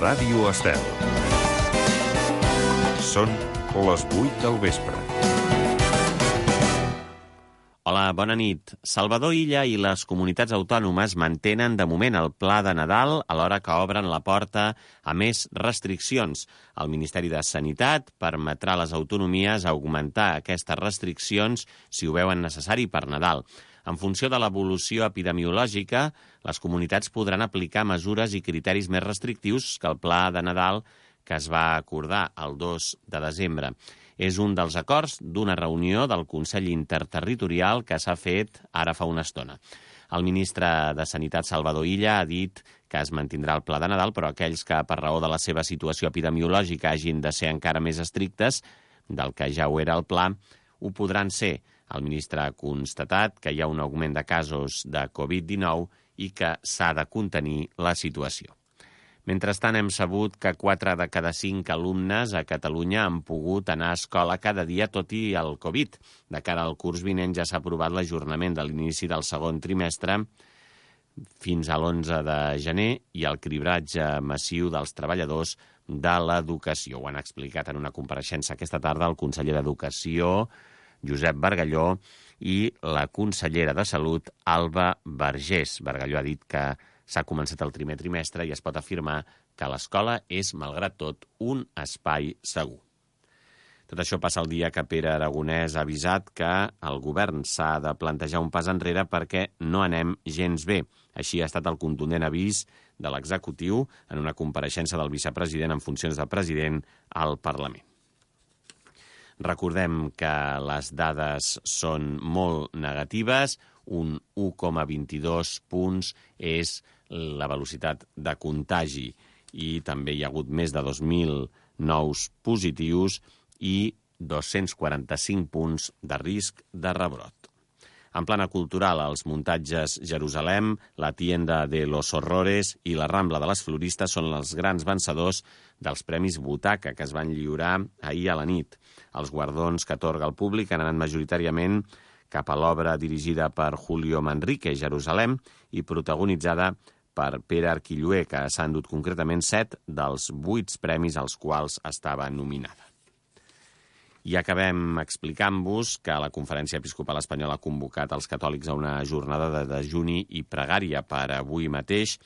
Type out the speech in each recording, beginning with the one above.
Ràdio Estel. Són les 8 del vespre. Hola, bona nit. Salvador Illa i les comunitats autònomes mantenen de moment el pla de Nadal alhora que obren la porta a més restriccions. El Ministeri de Sanitat permetrà a les autonomies augmentar aquestes restriccions si ho veuen necessari per Nadal. En funció de l'evolució epidemiològica, les comunitats podran aplicar mesures i criteris més restrictius que el pla de Nadal que es va acordar el 2 de desembre. És un dels acords d'una reunió del Consell Interterritorial que s'ha fet ara fa una estona. El ministre de Sanitat, Salvador Illa, ha dit que es mantindrà el pla de Nadal, però aquells que, per raó de la seva situació epidemiològica, hagin de ser encara més estrictes del que ja ho era el pla, ho podran ser. El ministre ha constatat que hi ha un augment de casos de Covid-19 i que s'ha de contenir la situació. Mentrestant, hem sabut que 4 de cada 5 alumnes a Catalunya han pogut anar a escola cada dia, tot i el Covid. De cara al curs vinent ja s'ha aprovat l'ajornament de l'inici del segon trimestre fins a l'11 de gener i el cribratge massiu dels treballadors de l'educació. Ho han explicat en una compareixença aquesta tarda el conseller d'Educació, Josep Bargalló, i la consellera de Salut, Alba Vergés. Bargalló ha dit que s'ha començat el primer trimestre i es pot afirmar que l'escola és, malgrat tot, un espai segur. Tot això passa el dia que Pere Aragonès ha avisat que el govern s'ha de plantejar un pas enrere perquè no anem gens bé. Així ha estat el contundent avís de l'executiu en una compareixença del vicepresident en funcions de president al Parlament. Recordem que les dades són molt negatives. Un 1,22 punts és la velocitat de contagi i també hi ha hagut més de 2.000 nous positius i 245 punts de risc de rebrot. En plana cultural, els muntatges Jerusalem, la Tienda de los Horrores i la Rambla de les Floristes són els grans vencedors dels Premis Butaca que es van lliurar ahir a la nit. Els guardons que atorga el públic han anat majoritàriament cap a l'obra dirigida per Julio Manrique, Jerusalem, i protagonitzada per Pere Arquilloé, que s'ha endut concretament 7 dels 8 premis als quals estava nominada. I acabem explicant-vos que la Conferència Episcopal Espanyola ha convocat els catòlics a una jornada de dejuni i pregària per avui mateix,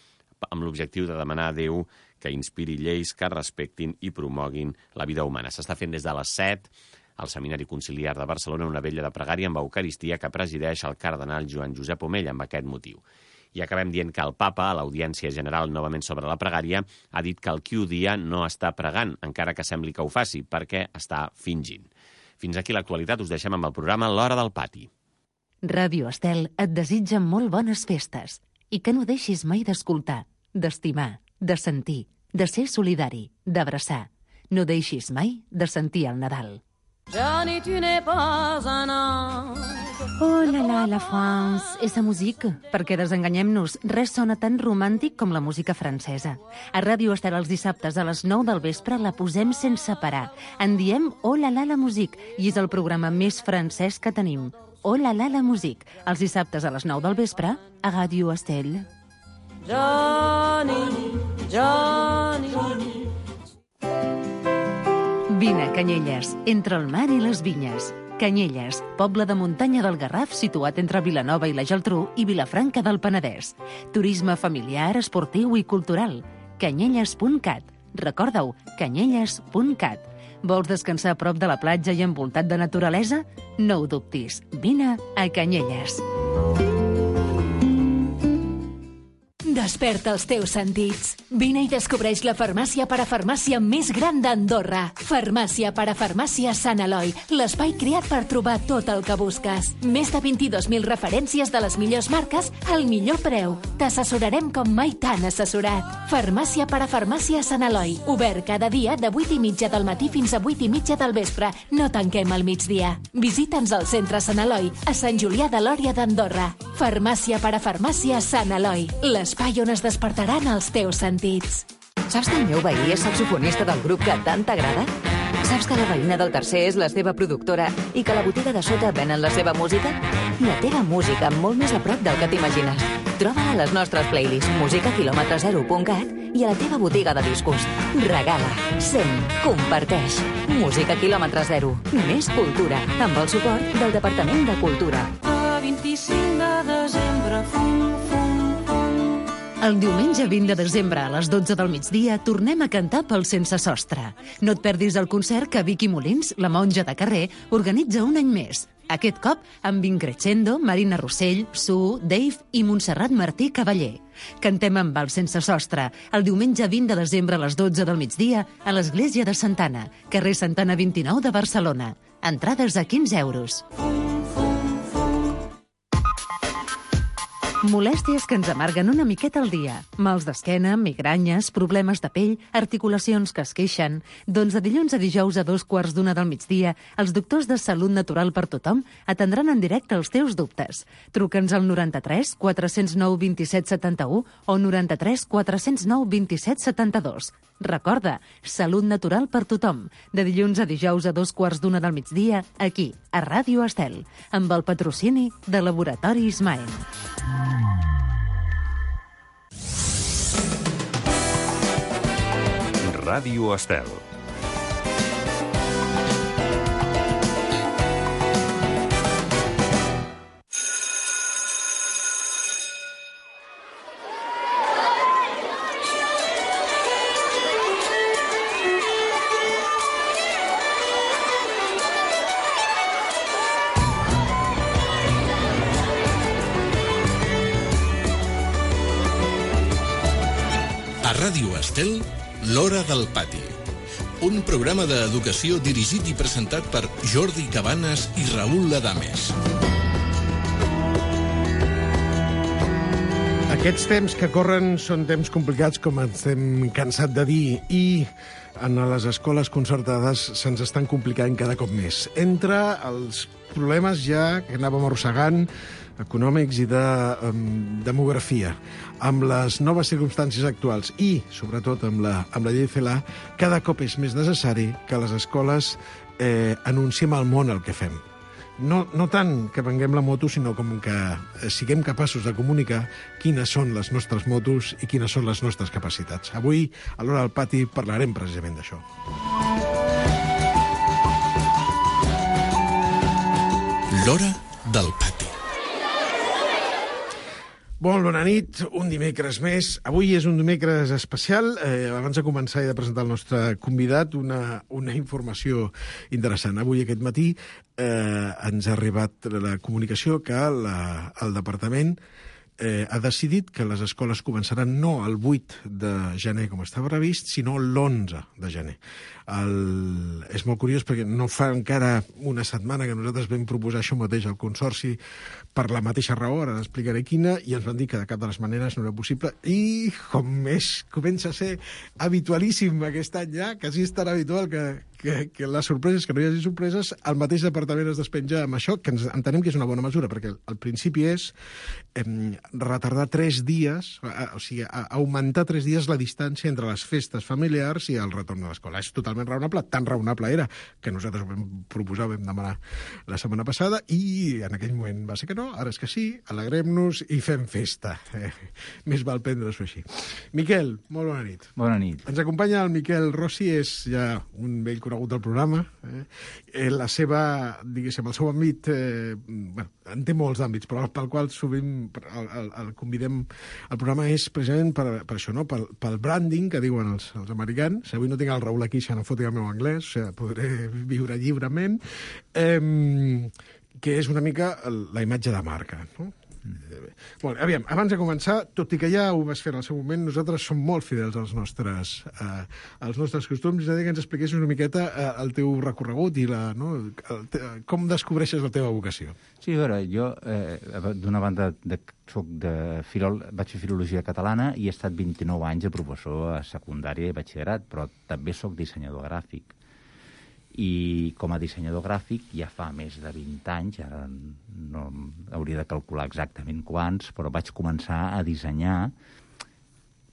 amb l'objectiu de demanar a Déu que inspiri lleis que respectin i promoguin la vida humana. S'està fent des de les 7 al Seminari Conciliar de Barcelona una vetlla de pregària amb Eucaristia que presideix el cardenal Joan Josep Omell amb aquest motiu. I acabem dient que el papa, a l'Audiència General novament sobre la pregària, ha dit que el qui odia no està pregant, encara que sembli que ho faci, perquè està fingint. Fins aquí l'actualitat, us deixem amb el programa L'Hora del Pati. Ràdio Estel et desitja molt bones festes i que no deixis mai d'escoltar, d'estimar, de sentir, de ser solidari, d'abraçar. No deixis mai de sentir el Nadal. Johnny, tu n'es pas un ange. Oh là là, la France, esa musique. Perquè desenganyem-nos, res sona tan romàntic com la música francesa. A Ràdio Estel els dissabtes a les 9 del vespre la posem sense parar. En diem Oh là là, la musique, i és el programa més francès que tenim. Oh là là, la musique, els dissabtes a les 9 del vespre a Ràdio Estel. Johnny, Johnny, Johnny. Vine a Canyelles, entre el mar i les vinyes. Canyelles, poble de muntanya del Garraf situat entre Vilanova i la Geltrú i Vilafranca del Penedès. Turisme familiar, esportiu i cultural. Canyelles.cat. Recorda-ho, canyelles.cat. Vols descansar a prop de la platja i envoltat de naturalesa? No ho dubtis. Vine a Canyelles. Desperta els teus sentits. Vine i descobreix la farmàcia parafarmàcia més gran d'Andorra. Farmàcia parafarmàcia Sant Eloi, l'espai creat per trobar tot el que busques. Més de 22.000 referències de les millors marques al millor preu. T'assessorarem com mai t'han assessorat. Farmàcia parafarmàcia Sant Eloi, obert cada dia de 8:30 del matí fins a 8:30 del vespre. No tanquem al migdia. Visita'ns al centre Sant Eloi, a Sant Julià de Lòria d'Andorra. Farmàcia parafarmàcia Sant Eloi, l'espai on es despertaran els teus sentits. Saps que el meu veí és saxofonista del grup que tant t'agrada? Saps que la veïna del tercer és la seva productora i que a la botiga de sota venen la seva música? La teva música molt més a prop del que t'imagines. Troba-la a les nostres playlists musicaquilòmetre0.cat i a la teva botiga de discos. Regala, sent, comparteix. Música quilòmetre zero. Més cultura, amb el suport del Departament de Cultura. A 25 de desembre, fum, fum, fum. El diumenge 20 de desembre a les 12 del migdia tornem a cantar pel Sense Sostre. No et perdis el concert que Vicky Molins, la monja de carrer, organitza un any més. Aquest cop amb Increscendo, Marina Rossell, Sue, Dave i Montserrat Martí Cavaller. Cantem amb el Sense Sostre el diumenge 20 de desembre a les 12 del migdia a l'Església de Santana, carrer Santana 29 de Barcelona. Entrades a 15 euros. Molèsties que ens amarguen una miqueta al dia. Mals d'esquena, migranyes, problemes de pell, articulacions que es queixen. Doncs de dilluns a dijous a 2:15 del migdia, els doctors de Salut Natural per Tothom atendran en directe els teus dubtes. Truca'ns al 93 409 27 71 o 93 409 27 72. Recorda, Salut Natural per Tothom, de dilluns a dijous a 2:15 del migdia, aquí, a Ràdio Estel, amb el patrocini de Laboratori Ismael. Ràdio Estel. A Ràdio Estel, L'Hora del Pati. Un programa d'educació dirigit i presentat per Jordi Cabanes i Raül Ladames. Aquests temps que corren són temps complicats, com ens hem cansat de dir, i en les escoles concertades se'ns estan complicant cada cop més. Entre els problemes ja que anàvem arrossegant, econòmics i de demografia, amb les noves circumstàncies actuals i, sobretot, amb la llei CELA, cada cop és més necessari que les escoles anunciem al món el que fem. No tant que venguem la moto, sinó com que siguem capaços de comunicar quines són les nostres motos i quines són les nostres capacitats. Avui, a l'Hora del Pati, parlarem precisament d'això. L'Hora del Pati. Bona nit, un dimecres més. Avui és un dimecres especial. Abans de començar he de presentar el nostre convidat una informació interessant. Avui, aquest matí, ens ha arribat la comunicació que el departament ha decidit que les escoles començaran no el 8 de gener, com estava previst, sinó l'11 de gener. És molt curiós perquè no fa encara una setmana que nosaltres vam proposar això mateix al Consorci per la mateixa raó, ara explicaré quina, i ens van dir que de cap de les maneres no era possible. I com més comença a ser habitualíssim aquest any ja, quasi és tan habitual que les sorpreses, que no hi hagi sorpreses, el mateix departament es despenja amb això, que entenem que és una bona mesura, perquè el principi és retardar 3 dies, o sigui, augmentar 3 dies la distància entre les festes familiars i el retorn a l'escola. És totalment raonable, tan raonable era que nosaltres ho vam proposar, ho vam demanar la setmana passada, i en aquell moment va ser que no, ara és que sí, alegrem-nos i fem festa. Més val prendre-s'ho així. Miquel, molt bona nit. Bona nit. Ens acompanya el Miquel Rossi, és ja un vell conegut del programa. La seva, diguéssim, el seu àmbit, en té molts àmbits, però pel qual sovint el convidem al programa és precisament per això, no? Pel branding, que diuen els americans. Avui no tinc el Raül aquí, ja no foti el meu anglès, o sigui, podré viure lliurement, que és una mica la imatge de marca, no? Bueno, aviam, abans de començar, tot i que ja ho vas fer en el seu moment, nosaltres som molt fidels als nostres costums, és a dir, que ens expliquessis una miqueta el teu recorregut i com descobreixes la teva vocació. Sí, a veure, jo, d'una banda, soc de vaig fer Filologia Catalana i he estat 29 anys de professor a secundària i batxillerat, però també soc dissenyador gràfic. I com a dissenyador gràfic ja fa més de 20 anys, ara no hauria de calcular exactament quants, però vaig començar a dissenyar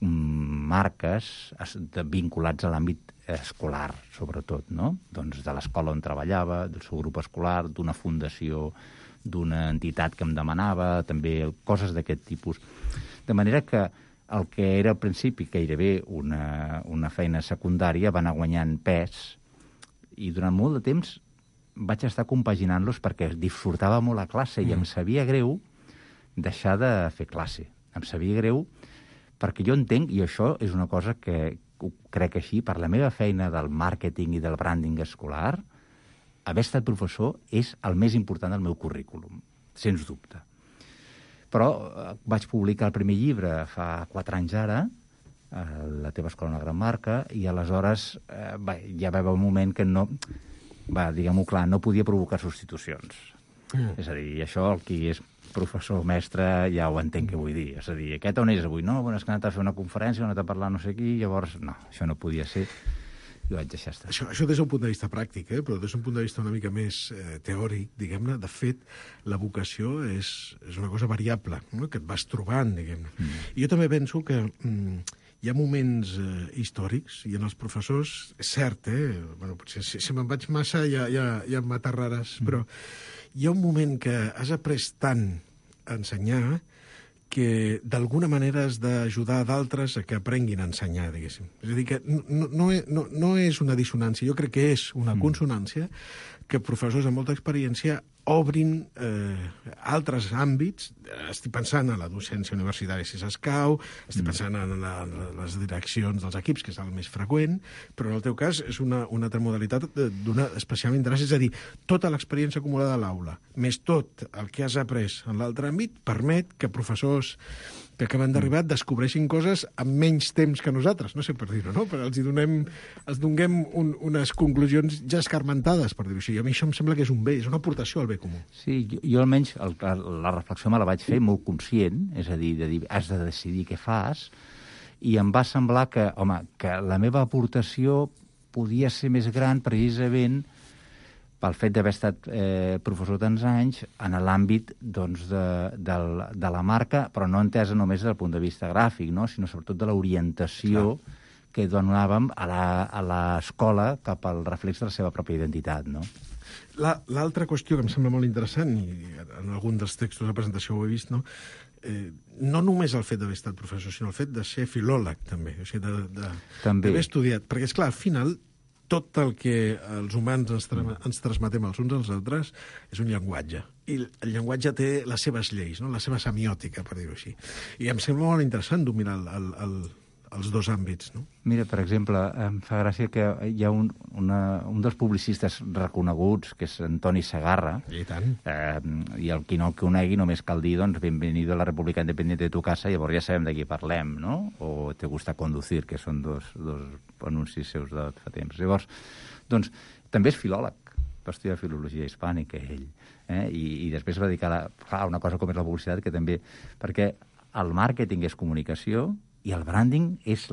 marques vinculats a l'àmbit escolar, sobretot, no? Doncs de l'escola on treballava, del seu grup escolar, d'una fundació, d'una entitat que em demanava, també coses d'aquest tipus. De manera que el que era al principi gairebé una feina secundària va anar guanyant pes, i durant molt de temps vaig estar compaginant-los perquè disfrutava molt la classe i em sabia greu deixar de fer classe. Em sabia greu perquè jo entenc, i això és una cosa que ho crec així, per la meva feina del màrqueting i del branding escolar, haver estat professor és el més important del meu currículum, sens dubte. Però vaig publicar el primer llibre fa 4 anys ara, La teva escola una gran marca, i aleshores ja va haver un moment que no, diguem-ho clar, no podia provocar substitucions. És a dir, això el qui és professor o mestre ja ho entenc què vull dir. És a dir, aquest on és avui? No, és que ha anat a fer una conferència, ha anat a parlar no sé qui, llavors, no, això no podia ser. I vaig deixar estar. Això des d'un punt de vista pràctic, però des d'un punt de vista una mica més teòric, diguem-ne, de fet, la vocació és una cosa variable, no? Que et vas trobant, diguem-ne. I jo també penso que hi ha moments històrics, i en els professors, és cert, bueno, potser si me'n vaig massa ja m'aterraràs, però hi ha un moment que has après tant a ensenyar que d'alguna manera has d'ajudar d'altres a que aprenguin a ensenyar, diguéssim. És a dir, que no és una dissonància, jo crec que és una consonància que professors amb molta experiència obrin altres àmbits. Estic pensant en la docència universitària, si s'escau, estic pensant en les direccions dels equips, que és el més freqüent, però en el teu cas és una altra modalitat d'una especial interès, és a dir, tota l'experiència acumulada a l'aula, més tot el que has après en l'altre àmbit, permet que professors que acaben d'arribar descobreixin coses amb menys temps que nosaltres, no sé per dir-ho, no? Però els donem unes conclusions ja escarmentades, per dir-ho així. I a mi això em sembla que és un bé, és una aportació al bé comú. Sí, jo almenys la reflexió me la vaig fer molt conscient, és a dir, has de decidir què fas, i em va semblar que, home, que la meva aportació podia ser més gran precisament pel fet d'haver estat professor tants anys en l'àmbit doncs, de la marca, però no entesa només des del punt de vista gràfic, no? Sinó sobretot de l'orientació que donàvem a l'escola cap al reflex de la seva pròpia identitat, no? L'altra qüestió que em sembla molt interessant, i en algun dels textos de presentació ho he vist, no? No només el fet d'haver estat professor, sinó el fet de ser filòleg, també. O sigui, d'haver estudiat. Perquè, esclar, al final, tot el que els humans ens transmetem els uns als altres és un llenguatge. I el llenguatge té les seves lleis, no? La seva semiòtica, per dir-ho així. I em sembla molt interessant dominar els dos àmbits, no? Mira, per exemple, em fa gràcia que hi ha un dels publicistes reconeguts, que és Antoni Segarra. I tant. I el qui no el conegui només cal dir, doncs, bienvenido a la República Independiente de tu casa, llavors ja sabem de qui parlem, no? O Te gusta conducir, que són dos anuncis seus de fa temps. Llavors, doncs, també és filòleg, va estudiar filologia hispànica, ell. I després va dedicar a una cosa com és la publicitat, que també... Perquè el màrqueting és comunicació, i el branding és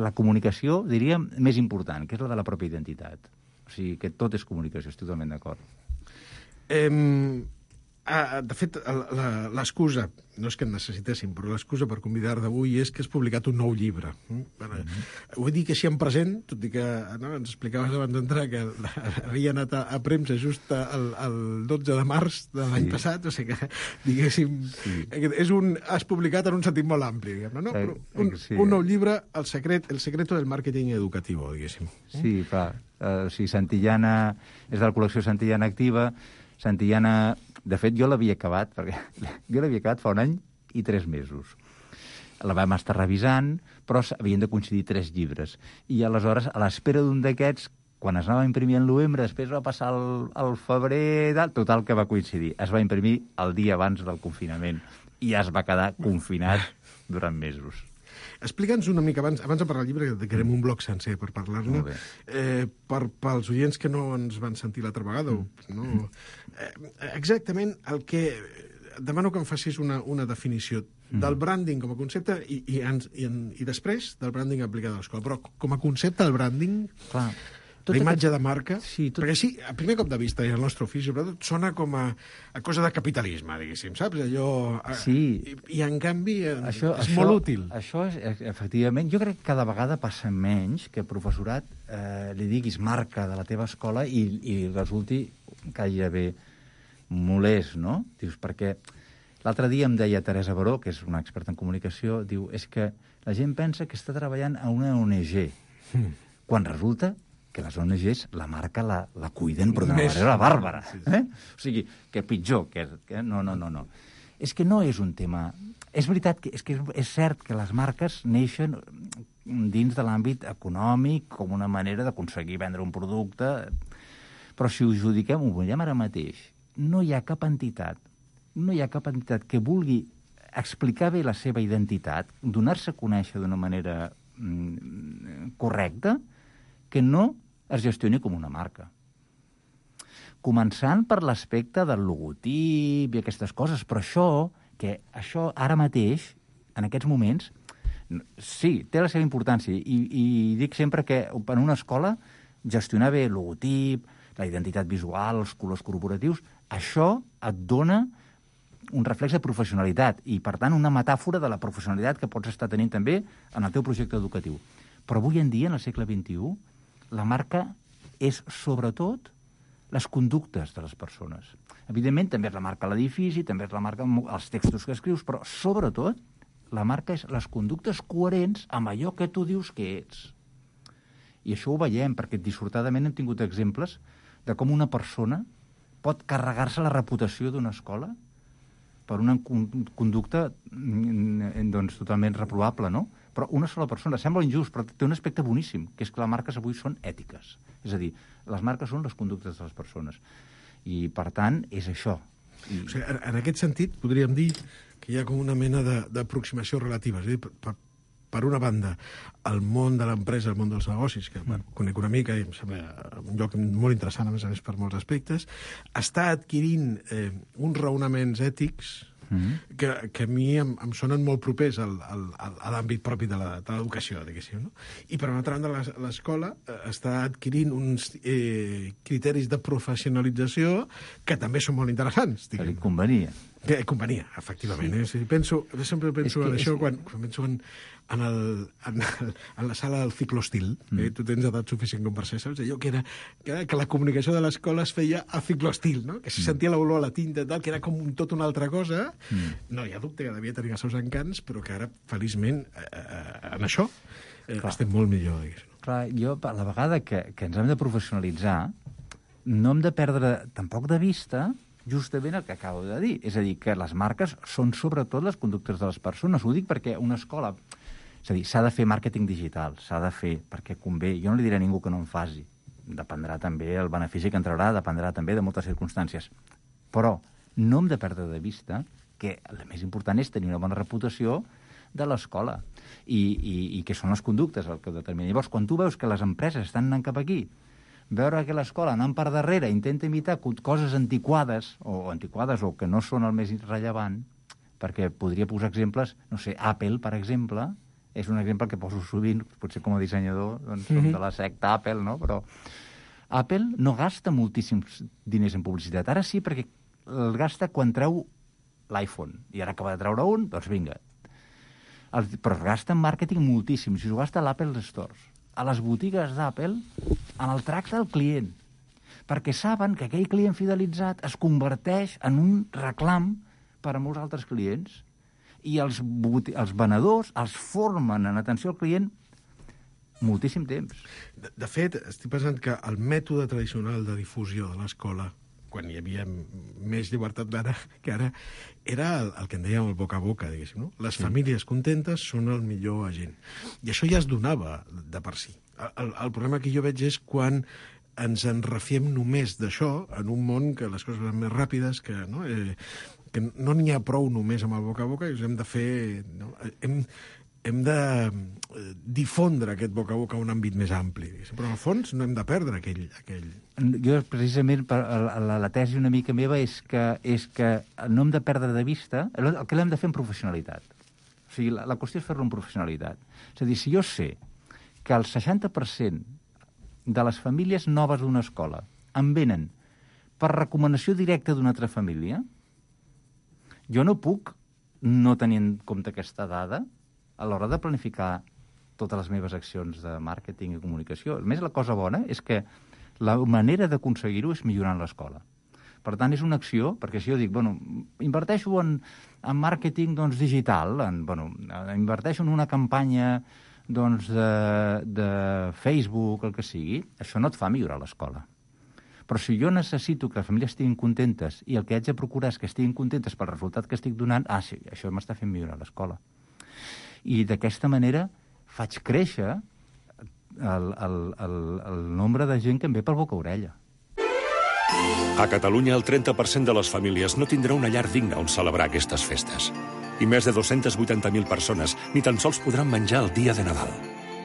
la comunicació, diríem, més important, que és la de la pròpia identitat. O sigui, que tot és comunicació, estic totalment d'acord. De fet, l'excusa, no és que en necessitéssim, però l'excusa per convidar d'avui és que has publicat un nou llibre. Vull dir que així en present, tot i que ens explicaves abans d'entrar que havia anat a premsa just el 12 de març de l'any passat, o sigui que, diguéssim, has publicat en un sentit molt ampli, diguem-ne, no? Però un nou llibre, El secreto del marketing educativo, diguéssim. Sí, clar. O sigui, Santillana és de la col·lecció Santillana Activa. Santillana, de fet, jo l'havia acabat fa 1 any i 3 mesos. La vam estar revisant, però havien de coincidir 3 llibres. I aleshores, a l'espera d'un d'aquests, quan es anava a imprimir en novembre, després va passar el febrer, total que va coincidir. Es va imprimir el dia abans del confinament i ja es va quedar confinat durant mesos. Explica'ns una mica, abans de parlar del llibre, que dedicarem un bloc sencer per parlar-ne, pels oients que no ens van sentir l'altra vegada, no? Exactament el que... Demano que em facis una definició del branding com a concepte i després del branding aplicat a l'escola. Però com a concepte, el branding... Clar. La imatge de marca, perquè sí, a primer cop de vista, i el nostre ofici, sobretot, sona com a cosa de capitalisme, diguéssim, saps? Allò... Sí. I en canvi, és molt útil. Això és, efectivament, jo crec que cada vegada passa menys que professorat li diguis marca de la teva escola i resulti gairebé molest, no? Dius, perquè L'altre dia em deia Teresa Baró, que és una experta en comunicació, diu, és que la gent pensa que està treballant a una ONG, quan resulta que les ONGs la marca la cuiden, però d'una manera bàrbara. O sigui, que pitjor, que no. És que no és un tema... És veritat que és cert que les marques neixen dins de l'àmbit econòmic com una manera d'aconseguir vendre un producte, però si ho judiquem, ho veiem ara mateix, no hi ha cap entitat que vulgui explicar bé la seva identitat, donar-se a conèixer d'una manera correcta, que no es gestioni com una marca. Començant per l'aspecte del logotip i aquestes coses, però això ara mateix, en aquests moments, sí, té la seva importància, i dic sempre que en una escola gestionar bé el logotip, la identitat visual, els colors corporatius, això et dona un reflex de professionalitat i, per tant, una metàfora de la professionalitat que pots estar tenint també en el teu projecte educatiu. Però avui en dia, en el segle XXI, la marca és, sobretot, les conductes de les persones. Evidentment, també és la marca l'edifici, també és la marca els textos que escrius, però, sobretot, la marca és les conductes coherents amb allò que tu dius que ets. I això ho veiem, perquè dissortadament hem tingut exemples de com una persona pot carregar-se la reputació d'una escola per una conducta totalment reprovable, no? Però una sola persona, sembla injust, però té un aspecte boníssim, que és que les marques avui són ètiques. És a dir, les marques són les conductes de les persones. I, per tant, és això. O sigui, en aquest sentit, podríem dir que hi ha com una mena d'aproximació relativa. És a dir, per una banda, el món de l'empresa, el món dels negocis, que conec una mica i em sembla un lloc molt interessant, a més per molts aspectes, està adquirint uns raonaments ètics que a mi em sonen molt propers a l'àmbit propi de l'educació, diguéssim. No? I per una altra banda, l'escola està adquirint uns criteris de professionalització que també són molt interessants. Que li convenia. Que convenia, efectivament. Sí. Sempre penso en això quan penso en la sala del ciclostil. Tu tens edat suficient com per ser, saps? Allò que la comunicació de l'escola es feia a ciclostil, no? Que se sentia l'olor a la tinta, tal, que era com tot una altra cosa. No hi ha dubte que devia tenir els seus encants, però que ara, feliçment, en això estem molt millor, diguéssim. Clar, jo, a la vegada que ens hem de professionalitzar, no hem de perdre tampoc de vista justament el que acabo de dir. És a dir, que les marques són sobretot les conductes de les persones. Ho dic perquè una escola... És a dir, s'ha de fer màrqueting digital, s'ha de fer perquè convé. Jo no li diré a ningú que no en faci. Dependrà també el benefici que entrarà, dependrà també de moltes circumstàncies. Però no hem de perdre de vista que el més important és tenir una bona reputació de l'escola i que són les conductes el que determina. Llavors, quan tu veus que les empreses estan anant cap aquí, veure que l'escola anant per darrere intenta imitar coses antiquades o que no són el més rellevant, perquè podria posar exemples, no sé, Apple, per exemple, és un exemple que poso sovint, potser com a dissenyador, doncs som de la secta Apple, no? Però Apple no gasta moltíssims diners en publicitat. Ara sí, perquè el gasta quan treu l'iPhone. I ara acaba de treure un, doncs vinga. Però es gasta en màrqueting moltíssim. Si s'ho gasta a l'Apple Stores, a les botigues d'Apple, en el tracte al client, perquè saben que aquell client fidelitzat es converteix en un reclam per a molts altres clients i els venedors els formen en atenció al client moltíssim temps. De fet, estic pensant que el mètode tradicional de difusió de l'escola, quan hi havia més llibertat d'ara que ara, era el que en dèiem el boca a boca, diguéssim, no? Les famílies contentes són el millor agent. I això ja es donava de per si. El problema que jo veig és quan ens en refiem només d'això en un món que les coses van més ràpides, que no n'hi ha prou només amb el boca a boca, i hem de fer... No? Hem de difondre aquest boca a boca a un àmbit més ampli. Però, al fons, no hem de perdre aquell... Jo, precisament, la tesi una mica meva és que no hem de perdre de vista el que l'hem de fer en professionalitat. O sigui, la qüestió és fer-lo en professionalitat. És a dir, si jo sé que el 60% de les famílies noves d'una escola en venen per recomanació directa d'una altra família, jo no puc no tenir en compte aquesta dada a l'hora de planificar totes les meves accions de màrqueting i comunicació. A més, la cosa bona és que la manera d'aconseguir-ho és millorant l'escola. Per tant, és una acció, perquè si jo dic, inverteixo en màrqueting digital, inverteixo en una campanya de Facebook, el que sigui, això no et fa millorar l'escola. Però si jo necessito que les famílies estiguin contentes i el que haig de procurar és que estiguin contentes pel resultat que estic donant, sí, això m'està fent millorar l'escola. I d'aquesta manera faig créixer el nombre de gent que em ve per boca-orella. A Catalunya, el 30% de les famílies no tindrà una llar digna on celebrar aquestes festes. I més de 280.000 persones ni tan sols podran menjar el dia de Nadal.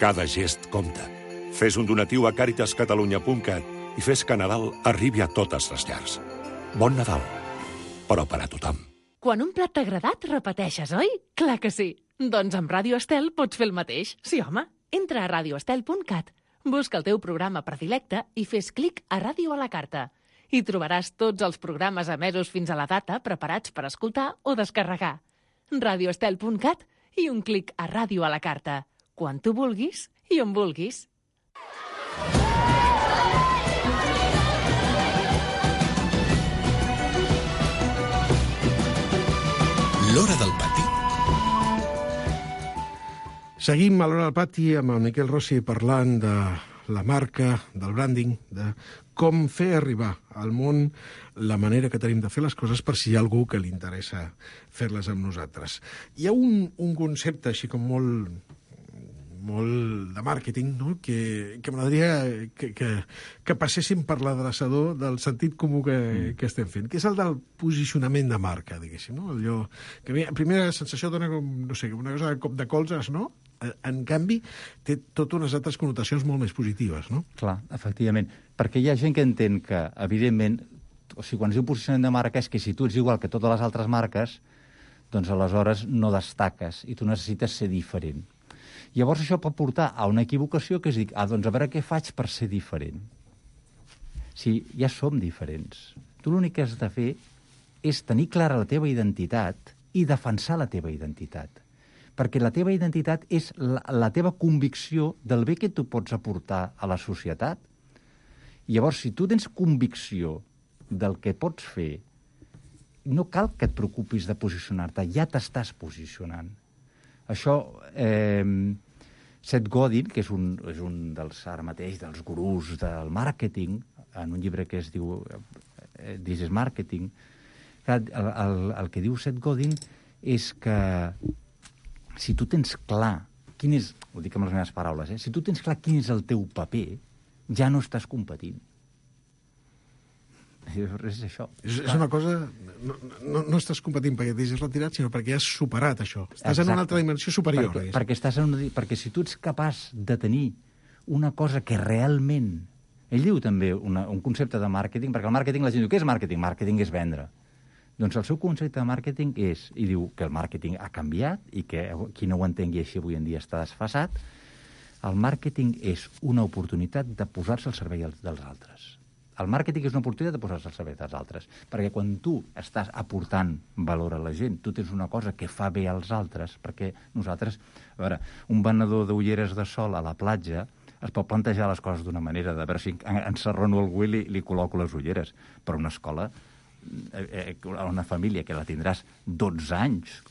Cada gest compta. Fes un donatiu a caritascatalunya.cat i fes que Nadal arribi a totes les llars. Bon Nadal, però per a tothom. Quan un plat t'ha agradat, repeteixes, oi? Clar que sí. Doncs amb Ràdio Estel pots fer el mateix. Sí, home. Entra a radioestel.cat, busca el teu programa predilecte i fes clic a Ràdio a la carta. Hi trobaràs tots els programes emesos fins a la data preparats per escoltar o descarregar. radioestel.cat i un clic a Ràdio a la carta. Quan tu vulguis i on vulguis. L'Hora del Pati. Seguim a l'Hora del Pati amb el Miquel Rossi parlant de la marca, del branding, de com fer arribar al món la manera que tenim de fer les coses per si hi ha algú que li interessa fer-les amb nosaltres. Hi ha un concepte així com molt de màrqueting, no? que m'agradaria que passéssim per l'adreçador del sentit comú que estem fent, que és el del posicionament de marca, diguéssim. No? Allò que a primera sensació dona com, no sé, una cosa de cop de colzes, no? En canvi, té totes unes altres connotacions molt més positives, no? Clar, efectivament. Perquè hi ha gent que entén que, evidentment, o sigui, quan es diu posicionament de marca és que si tu ets igual que totes les altres marques, doncs aleshores no destaques i tu necessites ser diferent. Llavors això pot portar a una equivocació que és dir, doncs a veure què faig per ser diferent. Si ja som diferents. Tu l'únic que has de fer és tenir clara la teva identitat i defensar la teva identitat. Perquè la teva identitat és la teva convicció del bé que tu pots aportar a la societat. Llavors, si tu tens convicció del que pots fer, no cal que et preocupis de posicionar-te, ja t'estàs posicionant. Això, Seth Godin, que és un dels, ara mateix, dels gurús del màrqueting, en un llibre que es diu This is Marketing, el que diu Seth Godin és que si tu tens clar quin és, ho dic amb les meves paraules, si tu tens clar quin és el teu paper, ja no estàs competint. És això. És una cosa... No estàs competint perquè t'has retirat, sinó perquè has superat això. Estàs en una altra dimensió superior. Perquè si tu ets capaç de tenir una cosa que realment... Ell diu també un concepte de màrqueting, perquè el màrqueting, la gent diu, què és màrqueting? Màrqueting és vendre. Doncs el seu concepte de màrqueting és, i diu que el màrqueting ha canviat i que qui no ho entengui així avui en dia està desfasat, el màrqueting és una oportunitat de posar-se al servei dels altres. El màrqueting és una oportunitat de posar-se al servei dels altres, perquè quan tu estàs aportant valor a la gent, tu tens una cosa que fa bé als altres, perquè nosaltres, a veure, un venedor d'ulleres de sol a la platja es pot plantejar les coses d'una manera, de veure si encerrono algú i li col·loco les ulleres, però una escola, una família que la tindràs 12 anys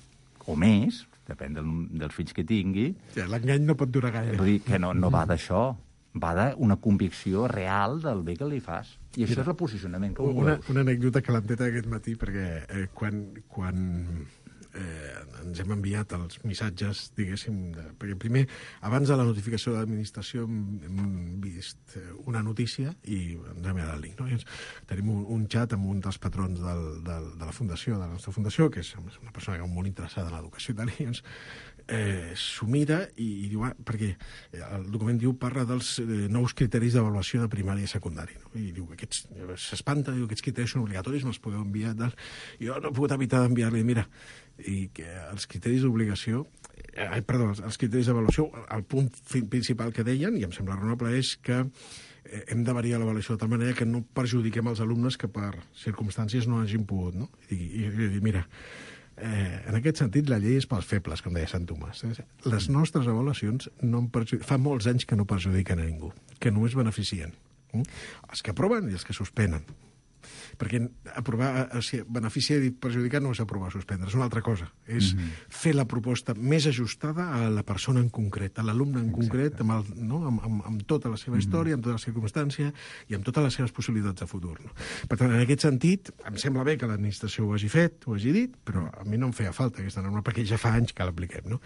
o més, depèn dels fills que tingui... Ja, l'engany no pot durar gaire. Vull dir que no va d'això, va d'una convicció real del bé que li fas. I això és el posicionament que veus. Una anècdota calenteta aquest matí, perquè quan ens hem enviat els missatges, diguéssim, perquè primer, abans de la notificació de l'administració hem vist una notícia i ens hem agradat el link. No? Tenim un xat amb un dels patrons de la fundació, de la nostra fundació, que és una persona que és molt interessada en l'educació i tal, i s'ho mira i diu, perquè el document parla dels nous criteris d'avaluació de primària i secundària, no? I diu, s'espanta, diu, aquests criteris són obligatoris, me'ls podeu enviar, tal. I jo no he pogut evitar d'enviar-li, mira, i que els criteris d'obligació, els criteris d'avaluació, el punt principal que deien, i em sembla raonable, és que hem de variar l'avaluació de tal manera que no perjudiquem els alumnes que per circumstàncies no hagin pogut, no? I dir, mira, en aquest sentit, la llei és pels febles, com deia Sant Tomàs. Les nostres avaluacions fa molts anys que no perjudiquen a ningú, que només beneficien. Els que aproven i els que suspenen. Perquè aprovar, o sigui, benefici i perjudicat no és aprovar o suspendre, és una altra cosa. És fer la proposta més ajustada a la persona en concret, a l'alumne en concret, amb tota la seva història, amb tota la circumstància i amb totes les seves possibilitats de futur. No? Per tant, en aquest sentit, em sembla bé que l'administració ho hagi fet, ho hagi dit, però a mi no em feia falta aquesta norma, perquè ja fa anys que l'apliquem, no?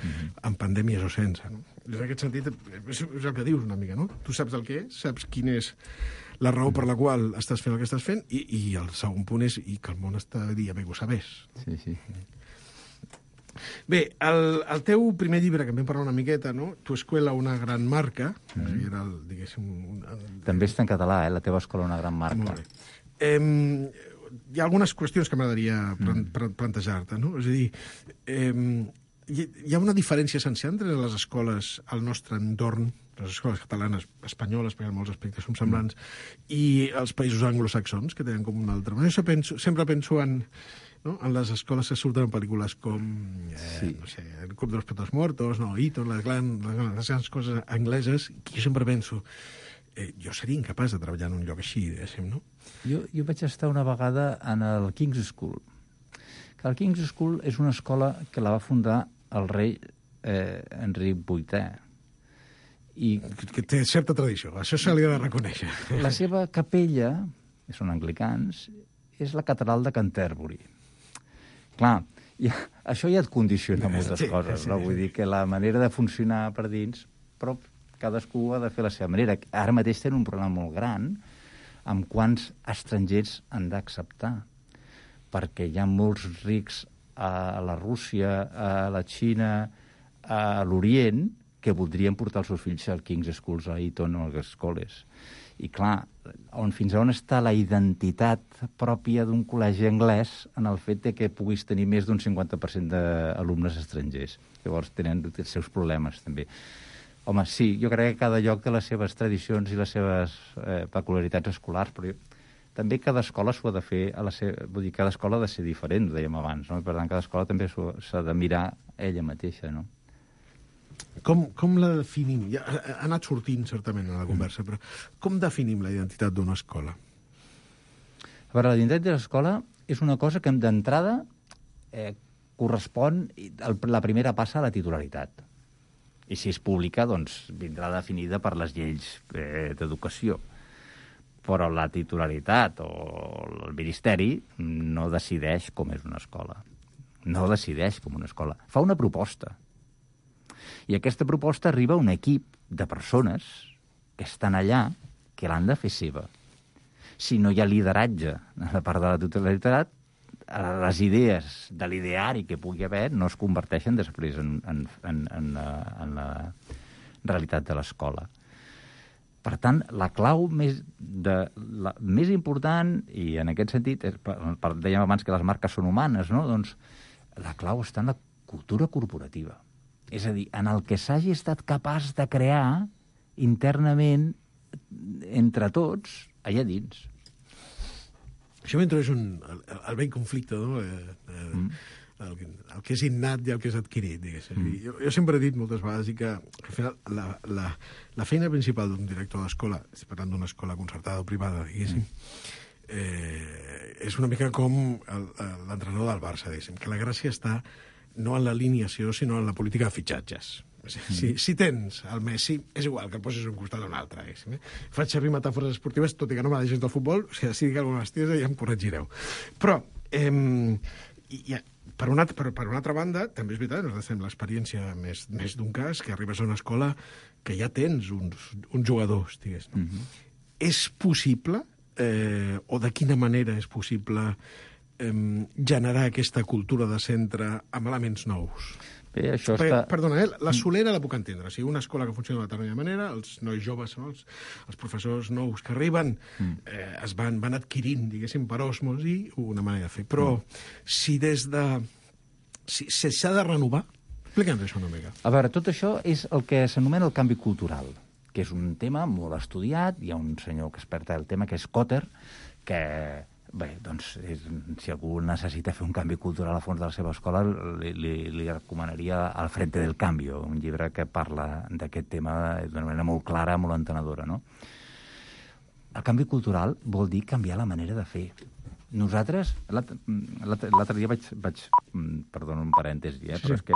En pandèmies o sense. No? En aquest sentit, és el que dius una mica, no? Tu saps el que és, saps quin és la raó per la qual estàs fent el que estàs fent, i el segon punt és que el món estaria bé que ho sabés. Sí. Bé, el teu primer llibre, que en vam parlar una miqueta, no? Tu escuela una gran marca, era, diguéssim... També està en català, la teva escola una gran marca. Molt bé. Hi ha algunes qüestions que m'agradaria plantejar-te, no? És a dir, hi ha una diferència essencial entre les escoles al nostre entorn, les escoles catalanes, espanyoles, perquè en molts aspectes són semblants, i els països anglosaxons, que tenen com una altra manera. Sempre penso en les escoles que surten en pel·lícules com no sé, El Club de los Poetas Muertos, Eton, les grans coses angleses, que jo sempre penso jo seria incapaç de treballar en un lloc així, diguéssim, no? Jo vaig estar una vegada en el King's School. Que el King's School és una escola que la va fundar el rei Enric VIII. Que té certa tradició, això se li ha de reconèixer. La seva capella, que són anglicans, és la catedral de Canterbury. Clar, això ja et condiciona moltes coses, no? Vull dir que la manera de funcionar per dins, però cadascú ha de fer la seva manera. Ara mateix tenen un problema molt gran amb quants estrangers han d'acceptar, perquè hi ha molts rics a la Rússia, a la Xina, a l'Orient, que voldrien portar els seus fills al King's Schools, a Eton o a les escoles. I clar, fins a on està la identitat pròpia d'un col·legi anglès en el fet de que puguis tenir més d'un 50% d'alumnes estrangers. Llavors tenen els seus problemes, també. Home, sí, jo crec que cada lloc té les seves tradicions i les seves peculiaritats escolars, però també cada escola s'ho ha de fer, vull dir, cada escola ha de ser diferent, ho dèiem abans, no? Per tant, cada escola també s'ha de mirar ella mateixa, no? Com la definim? Ja ha anat sortint, certament, a la conversa, però com definim la identitat d'una escola? A veure, la identitat de l'escola és una cosa que d'entrada correspon, la primera passa a la titularitat. I si és pública, doncs vindrà definida per les lleis d'educació. Però la titularitat o el ministeri no decideix com és una escola. No decideix com una escola. Fa una proposta. I aquesta proposta arriba a un equip de persones que estan allà, que l'han de fer seva. Si no hi ha lideratge a la part de la titularitat, les idees de l'ideari que pugui haver no es converteixen després en la realitat de l'escola. Per tant, la clau més important, i en aquest sentit, dèiem abans que les marques són humanes, no? Doncs la clau està en la cultura corporativa. És a dir, en el que s'hagi estat capaç de crear internament entre tots, allà dins. Això m'introdueix el vell conflicte, no? El que és innat i el que és adquirit, diguéssim. Jo sempre he dit moltes vegades que al final la feina principal d'un director d'escola, estic parlant d'una escola concertada o privada, diguéssim, és una mica com l'entrenador del Barça, diguéssim, que la gràcia està no en l'alineació, sinó en la política de fitxatges. Si tens el Messi, és igual que el posis un costat o un altre. Faig servir metàfores esportives, tot i que no m'ha gens del futbol, si dic alguna bestiesa ja em corregireu. Però, per una altra banda, també és veritat, nosaltres tenim l'experiència més d'un cas, que arribes a una escola que ja tens uns jugadors, digués. És possible, o de quina manera és possible generar aquesta cultura de centre amb elements nous? Bé, això està... Perdona, la solera la puc entendre. O sigui, una escola que funciona de determinada manera, els nois joves, no? els professors nous que arriben, es van adquirint, diguéssim, per osmosi, una manera de fer. Però si s'ha de renovar, explica'ns això una mica. A veure, tot això és el que s'anomena el canvi cultural, que és un tema molt estudiat. Hi ha un senyor que experta el tema, que és Kotter, que... Bé, doncs, si algú necessita fer un canvi cultural a fons de la seva escola, li recomanaria Al frente del cambio, un llibre que parla d'aquest tema d'una manera molt clara, molt entenedora, no? el canvi cultural vol dir canviar la manera de fer. Nosaltres, l'altre dia vaig perdona un parèntesi, però és que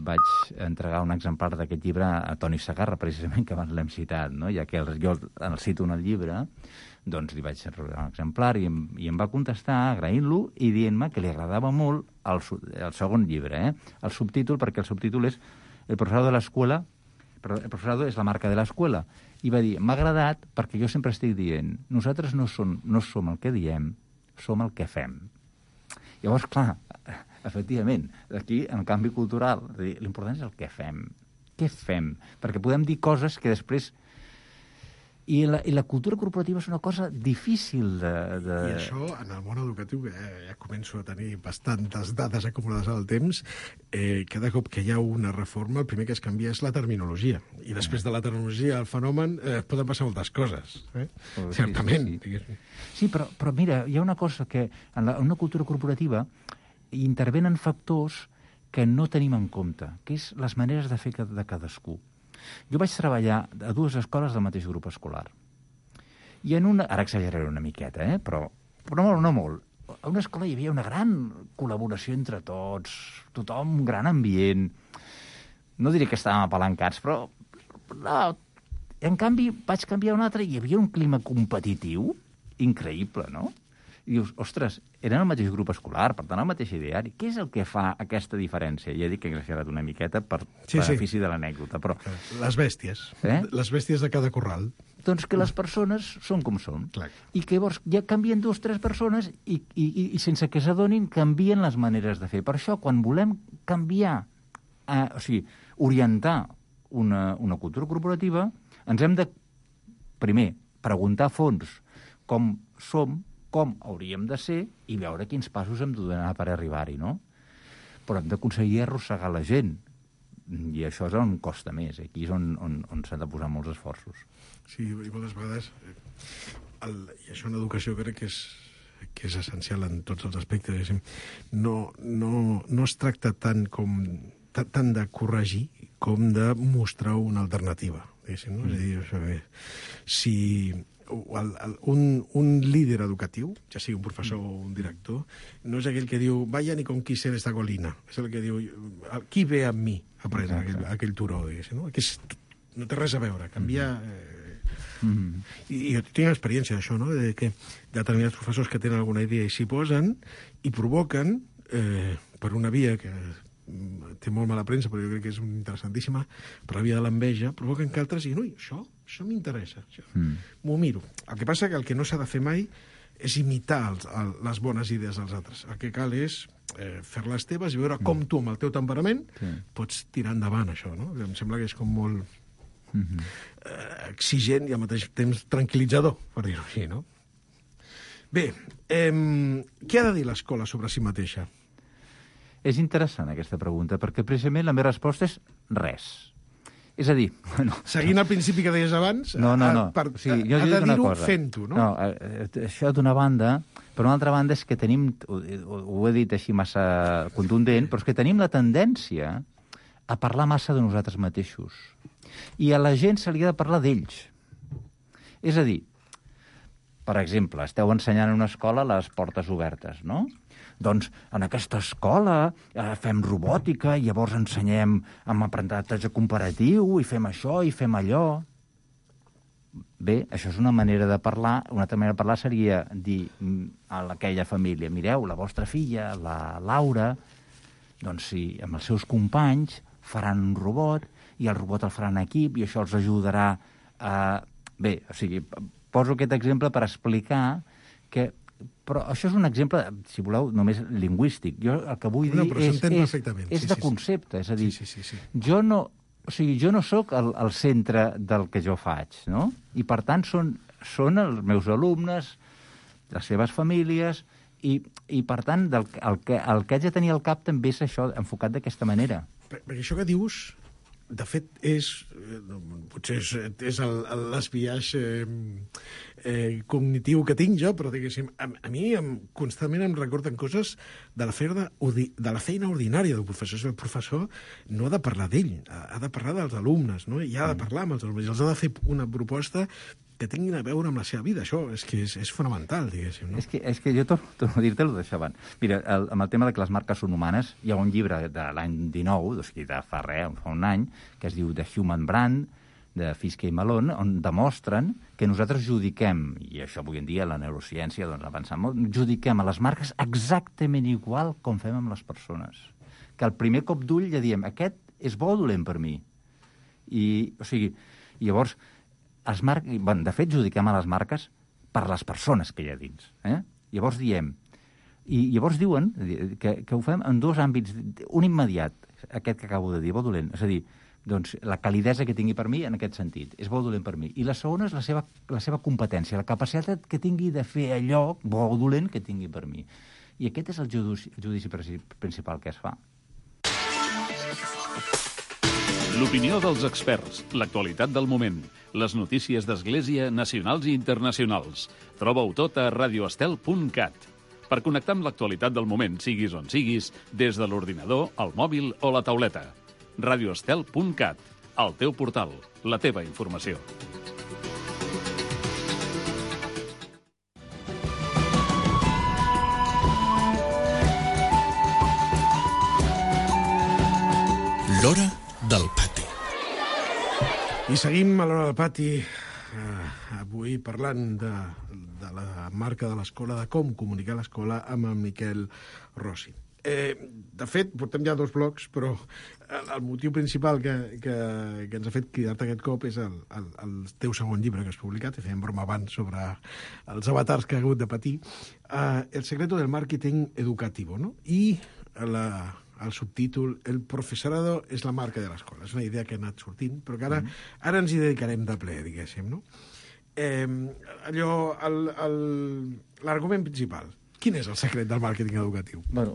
vaig entregar un exemplar d'aquest llibre a Toni Segarra, precisament, que abans l'hem citat, no? Ja que jo el cito en el llibre, doncs li vaig regalar un exemplar i em va contestar agraint-lo i dient-me que li agradava molt el segon llibre, el subtítol, perquè el subtítol és El professorado de l'escuela, però el professorado és la marca de l'escuela, i va dir, m'ha agradat perquè jo sempre estic dient, nosaltres no som el que diem, som el que fem. Llavors, clar, efectivament, aquí, en el canvi cultural, l'important és el que fem. Què fem? Perquè podem dir coses que després... I la cultura corporativa és una cosa difícil de... I això, en el món educatiu, ja començo a tenir bastantes dades acumulades al temps, cada cop que hi ha una reforma, el primer que es canvia és la terminologia. I després de la terminologia, el fenomen, poden passar moltes coses. Certament. Sí, però mira, hi ha una cosa que en una cultura corporativa intervenen factors que no tenim en compte, que és les maneres de fer de cadascú. Jo vaig treballar a 2 escoles del mateix grup escolar. I en una... Ara exageraré una miqueta, però no molt. A una escola hi havia una gran col·laboració entre tots, tothom, un gran ambient. No diré que estàvem apalancats, però... No. En canvi, vaig canviar a una altra i hi havia un clima competitiu increïble, no? I dius, ostres, eren el mateix grup escolar, per tant, el mateix ideari. Què és el que fa aquesta diferència? Ja dic que he exagerat una miqueta per benefici de l'anècdota, però... Les bèsties. Les bèsties de cada corral. Doncs que les persones són com són. Clar. I que llavors ja canvien 2 o 3 persones i sense que s'adonin canvien les maneres de fer. Per això, quan volem canviar, orientar una cultura corporativa, ens hem de, primer, preguntar a fons com som, com hauríem de ser i veure quins passos hem de donar per arribar-hi, no? Però hem d'aconseguir arrossegar la gent. I això és on costa més. Aquí és on s'han de posar molts esforços. Sí, i moltes vegades... I això en educació crec que és essencial en tots els aspectes. No es tracta tant de corregir com de mostrar una alternativa. No? És a dir, si... Un líder educatiu, ja sigui un professor o un director, no és aquell que diu vayan y conquisten esta colina. És el que diu qui ve amb mi a prendre aquell turó. No? No té res a veure, canviar... I jo tinc experiència d'això, no? De que determinats professors que tenen alguna idea i s'hi posen i provoquen, per una via que té molt mala premsa, però jo crec que és interessantíssima, per la via de l'enveja, provoquen que altres diguin, ui, això m'interessa, m'ho miro. El que passa que el que no s'ha de fer mai és imitar les bones idees dels altres. El que cal és fer-les teves i veure com tu, amb el teu temperament, pots tirar endavant això, no? Em sembla que és com molt exigent i al mateix temps tranquil·litzador, per dir-ho així, no? Bé, què ha de dir l'escola sobre si mateixa? És interessant aquesta pregunta, perquè precisament la meva resposta és res. És a dir... Bueno, seguint el principi que deies abans, no. Jo ha de dir-ho cosa. Fent-ho, no? No, això d'una banda, per una altra banda és que tenim, ho he dit així massa contundent, però és que tenim la tendència a parlar massa de nosaltres mateixos. I a la gent se li ha de parlar d'ells. És a dir, per exemple, esteu ensenyant en una escola les portes obertes, no? Doncs en aquesta escola fem robòtica i llavors ensenyem amb aprenentatge comparatiu i fem això i fem allò. Bé, això és una manera de parlar. Una altra manera de parlar seria dir a aquella família, mireu, la vostra filla, la Laura, doncs sí, amb els seus companys faran un robot i el robot el faran en equip i això els ajudarà a... Bé, o sigui, poso aquest exemple per explicar que... Però això és un exemple, si voleu, només lingüístic. Jo el que vull dir és de concepte. És a dir, jo no soc el centre del que jo faig, no? I, per tant, són els meus alumnes, les seves famílies, i per tant, el que haig de tenir al cap també és això, enfocat d'aquesta manera. Perquè això que dius... De fet, potser és l'esbiaix cognitiu que tinc jo, però diguéssim, a mi constantment em recorden coses de la feina ordinària del professor. El professor no ha de parlar d'ell, ha de parlar dels alumnes, no? I ha de parlar amb els alumnes, i els ha de fer una proposta que tinguin a veure amb la seva vida. Això és que és fonamental, diguéssim. No? És que jo torno a dir-te-ho d'això abans. Mira, amb el tema de que les marques són humanes, hi ha un llibre de l'any 19, o sigui, de fa un any, que es diu The Human Brand, de Fiske i Malone, on demostren que nosaltres judiquem, i això avui en dia la neurociència doncs, avança molt, judiquem a les marques exactament igual com fem amb les persones. Que al primer cop d'ull ja diem, aquest és bo o dolent per mi. O sigui, llavors, de fet, judiquem a les marques per les persones que hi ha dins. Llavors diem, i llavors diuen que ho fem en dos àmbits, un immediat, aquest que acabo de dir, bo o dolent, és a dir, doncs, la calidesa que tingui per mi en aquest sentit, és bo o dolent per mi. I la segona és la seva competència, la capacitat que tingui de fer allò bo o dolent que tingui per mi. I aquest és el judici principal que es fa. L'opinió dels experts, l'actualitat del moment, les notícies d'Església nacionals i internacionals. Troba-ho tot a radioestel.cat. Per connectar amb l'actualitat del moment, siguis on siguis, des de l'ordinador, el mòbil o la tauleta. radioestel.cat, el teu portal, la teva informació. L'Hora del Pati. I seguim a l'Hora del Pati avui parlant de la marca de l'escola, de com comunicar l'escola amb en Miquel Rossi. De fet, portem ja 2 blocs, però el motiu principal que ens ha fet cridar-te aquest cop és el teu segon llibre que has publicat, i fèiem broma abans sobre els avatars que ha hagut de patir, El secreto del marketing educativo, no? I el subtítol El profesorado és la marca de l'escola. És una idea que ha anat sortint, però que ara ens hi dedicarem de ple, diguéssim, no? L'argument principal. Quin és el secret del màrqueting educatiu? Bueno,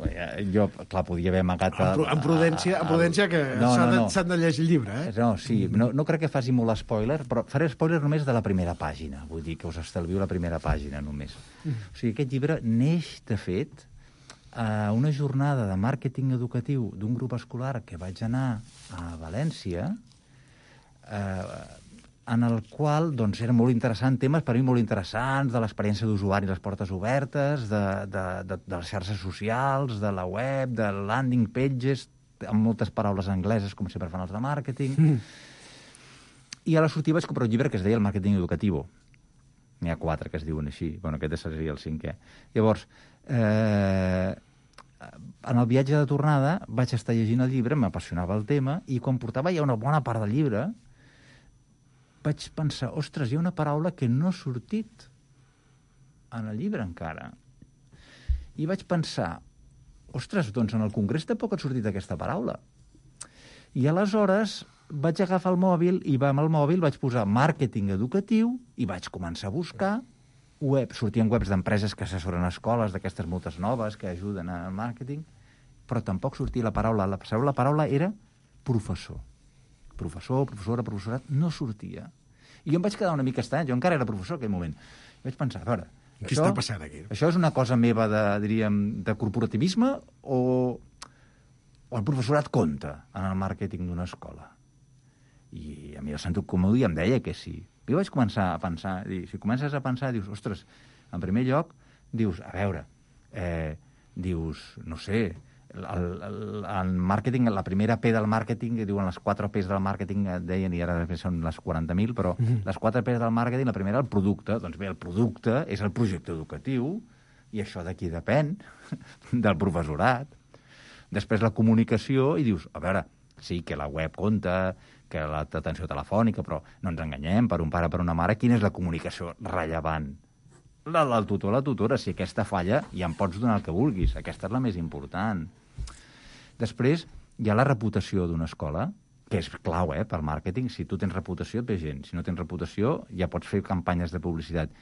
jo, clar, podia haver amagat... En prudència que s'han de llegir el llibre, No, sí, no crec que faci molt spoiler, però faré spoiler només de la primera pàgina. Vull dir que us estalvio la primera pàgina només. O sigui, aquest llibre neix, de fet, a una jornada de màrqueting educatiu d'un grup escolar que vaig anar a València, en el qual doncs, eren molt interessants, temes per mi molt interessants, de l'experiència d'usuari, les portes obertes, de les xarxes socials, de la web, de landing pages, amb moltes paraules angleses, com sempre fan els de màrqueting. I a la sortida vaig comprar un llibre que es deia El màrqueting educativo. N'hi ha 4 que es diuen així. Bueno, aquest seria el 5è. Llavors, en el viatge de tornada vaig estar llegint el llibre, m'apassionava el tema, i quan portava ja una bona part del llibre vaig pensar, ostres, hi ha una paraula que no ha sortit en el llibre encara. I vaig pensar, ostres, doncs en el congrés tampoc ha sortit aquesta paraula. I aleshores vaig agafar el mòbil i amb el mòbil vaig posar màrqueting educatiu i vaig començar a buscar sortien webs d'empreses que assessoren escoles, d'aquestes moltes noves que ajuden al màrqueting, però tampoc sortia la paraula. La paraula era professor. Professor, professora, professorat, no sortia. I jo em vaig quedar una mica estrany, jo encara era professor en aquell moment. I vaig pensar, a veure, què està passant aquí? Això és una cosa meva de corporativisme o el professorat compta en el màrqueting d'una escola? I a mi el sentit comú em deia que sí. I vaig començar a pensar, si comences a pensar, dius, ostres, en primer lloc, dius, a veure, no sé, el màrqueting, la primera P del màrqueting, que diuen les 4 P's del màrqueting, deien, i ara són les 40.000, però les 4 P's del màrqueting, la primera, el producte. Doncs bé, el producte és el projecte educatiu, i això d'aquí depèn, del professorat. Després la comunicació, i dius, a veure, sí, que la web compta, que l'atenció telefònica, però no ens enganyem, per un pare, per una mare, quina és la comunicació rellevant? La del tutor, la tutora, si aquesta falla ja em pots donar el que vulguis, aquesta és la més important. Després hi ha la reputació d'una escola, que és clau, pel màrqueting. Si tu tens reputació et ve gent, si no tens reputació ja pots fer campanyes de publicitat.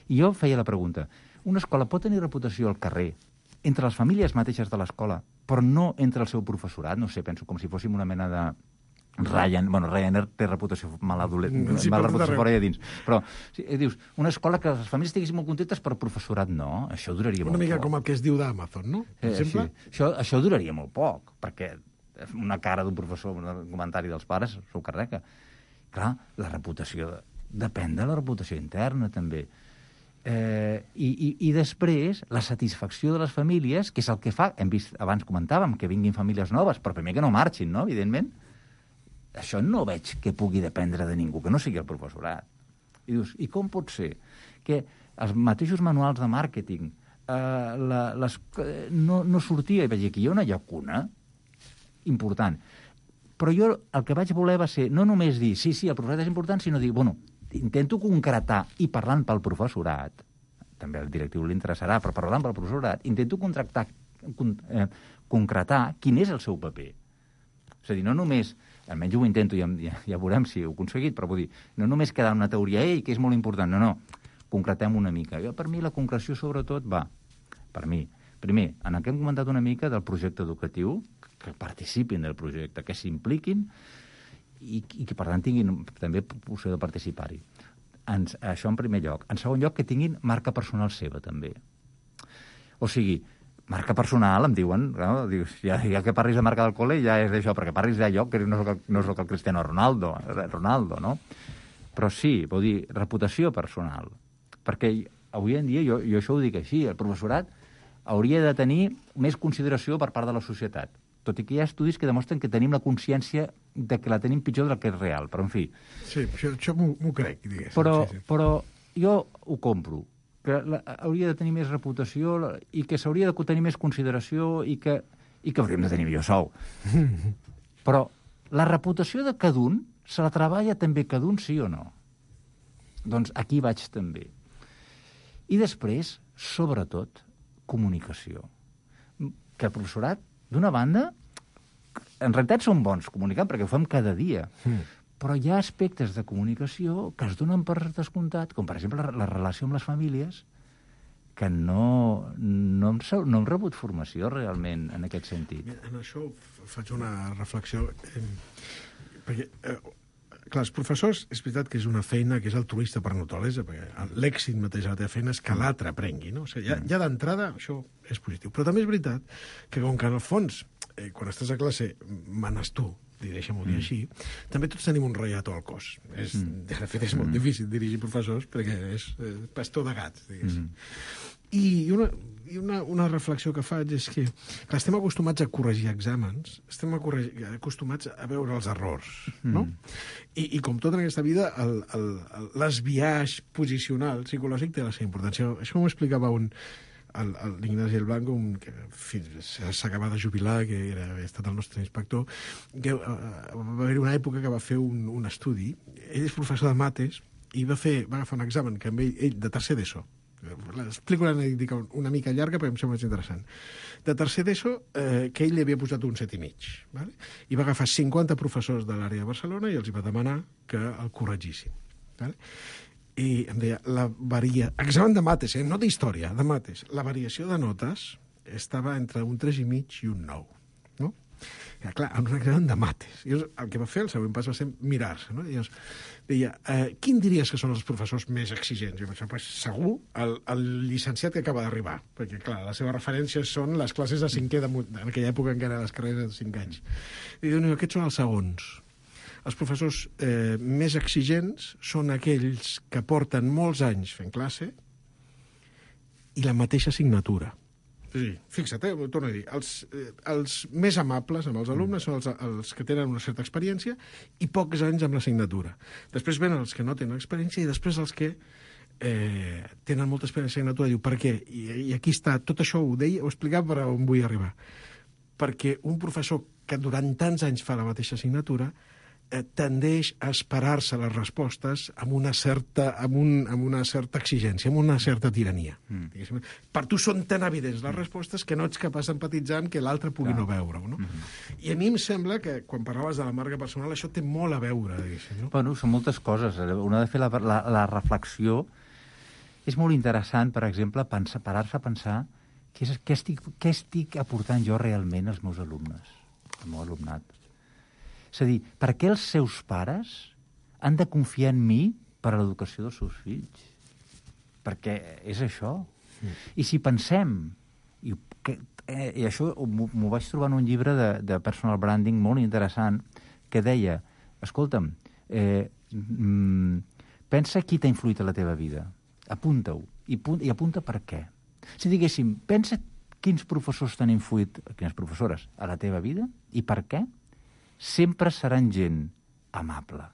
I jo feia la pregunta, una escola pot tenir reputació al carrer, entre les famílies mateixes de l'escola, però no entre el seu professorat? No sé, penso com si fóssim una mena de... Ryanair té reputació mala reputació fora i a dins. Però dius, una escola que les famílies estiguessin molt contentes, però el professorat no, això duraria molt poc. Una mica com el que es diu d'Amazon, no? Per exemple? Sí. Això duraria molt poc, perquè una cara d'un professor, un comentari dels pares, s'ho carrega. Clar, la reputació depèn de la reputació interna, també. I després, la satisfacció de les famílies, que és el que fa, hem vist, abans comentàvem, que vinguin famílies noves, però primer que no marxin, no?, evidentment. Això no veig que pugui dependre de ningú, que no sigui el professorat. I dius, i com pot ser que els mateixos manuals de màrqueting no sortia, i vaig dir, aquí hi ha una llacuna important. Però jo el que vaig voler va ser no només dir, sí, el professorat és important, sinó dir, bueno, intento concretar, i parlant pel professorat, també al directiu li interessarà, però parlant pel professorat, intento concretar quin és el seu paper. És a dir, no només, almenys ho intento, ja veurem si ho he aconseguit, però vull dir, no només quedar una teoria, que és molt important, no, concretem una mica. Per mi la concreció, sobretot, va, per mi, primer, en el que hem comentat una mica del projecte educatiu, que participin del projecte, que s'impliquin i que, per tant, tinguin també opció de participar-hi. Això en primer lloc. En segon lloc, que tinguin marca personal seva, també. O sigui, marca personal, em diuen, no? Ja que parlis de marca del col·le, ja és d'això, perquè parlis d'allò que no soc el Cristiano Ronaldo, no? Però sí, vol dir, reputació personal. Perquè avui en dia, jo això ho dic així, el professorat hauria de tenir més consideració per part de la societat. Tot i que hi ha estudis que demostren que tenim la consciència de que la tenim pitjor del que és real, però en fi. Sí, això m'ho crec, diguéssim. Però jo ho compro, que hauria de tenir més reputació i que s'hauria de tenir més consideració i que hauríem de tenir millor sou. Però la reputació de cada un se la treballa també cada un, sí o no? Doncs aquí vaig també. I després, sobretot, comunicació. Que el professorat, d'una banda, en realitat són bons comunicant, perquè ho fem cada dia, però hi ha aspectes de comunicació que es donen per descomptat, com per exemple la relació amb les famílies, que no hem rebut formació realment en aquest sentit. En això faig una reflexió, perquè, clar, els professors, és veritat que és una feina que és altruista per naturalesa, perquè l'èxit mateix de la teva feina és que l'altre aprengui, no? O sigui, ja d'entrada això és positiu. Però també és veritat que, com que en el fons, quan estàs a classe, manes tu, deixa'm-ho dir així, també tots tenim un ratllat al cos. De fet, és molt difícil dirigir professors perquè és pastor de gats, diguéssim. I una reflexió que faig és que estem acostumats a corregir exàmens, estem acostumats a veure els errors, no? I com tot en aquesta vida, l'esbiaix posicional psicològic té la seva importància. Això m'ho explicava l'Ignasi El Blanco, que s'acaba de jubilar, que havia estat el nostre inspector, que va haver una època que va fer un estudi. Ell és professor de mates i va agafar un examen que amb ell de tercer d'ESO. L'explico una mica llarga perquè em sembla més interessant. De tercer d'ESO, que ell li havia posat un 7,5. Vale? I va agafar 50 professors de l'àrea de Barcelona i els va demanar que el corregissin. Vale? I em deia, examen de mates, no d'història, de mates. La variació de notes estava entre un 3,5 i un 9. No? I, clar, en un examen de mates. I el que va fer, el següent pas va ser mirar-se. No? I deia, quin diries que són els professors més exigents? Jo pensava, segur, el llicenciat que acaba d'arribar, perquè, clar, les seves referències són les classes de cinquè, en aquella època encara les carreres de 5 anys. I diu, no, aquests són els segons. Els professors més exigents són aquells que porten molts anys fent classe i la mateixa assignatura. Sí, fixa't, ho torno a dir, els més amables amb els alumnes són els que tenen una certa experiència i pocs anys amb l'assignatura. Després venen els que no tenen experiència i després els que tenen molta experiència en l'assignatura. Diu, per què? I aquí està, tot això ho explicava per on vull arribar. Perquè un professor que durant tants anys fa la mateixa assignatura tendeix a esperar-se les respostes amb una certa exigència, amb una certa tirania. Per tu són tan evidents les respostes que no ets capaç d'empatitzar que l'altre pugui no veure-ho. No? I a mi em sembla que, quan parlaves de la marca personal, això té molt a veure. No? Bueno, són moltes coses. Una de fer la reflexió és molt interessant, per exemple, parar-se a pensar què estic aportant jo realment als meus alumnes, al meu alumnat. És a dir, per què els seus pares han de confiar en mi per a l'educació dels seus fills? Perquè és això. I si pensem, i això m'ho vaig trobar en un llibre de personal branding molt interessant, que deia, escolta'm, pensa qui t'ha influït a la teva vida. Apunta-ho. I apunta per què. Si diguéssim, pensa quins professors t'han influït, quines professores, a la teva vida i per què, sempre seran gent amable.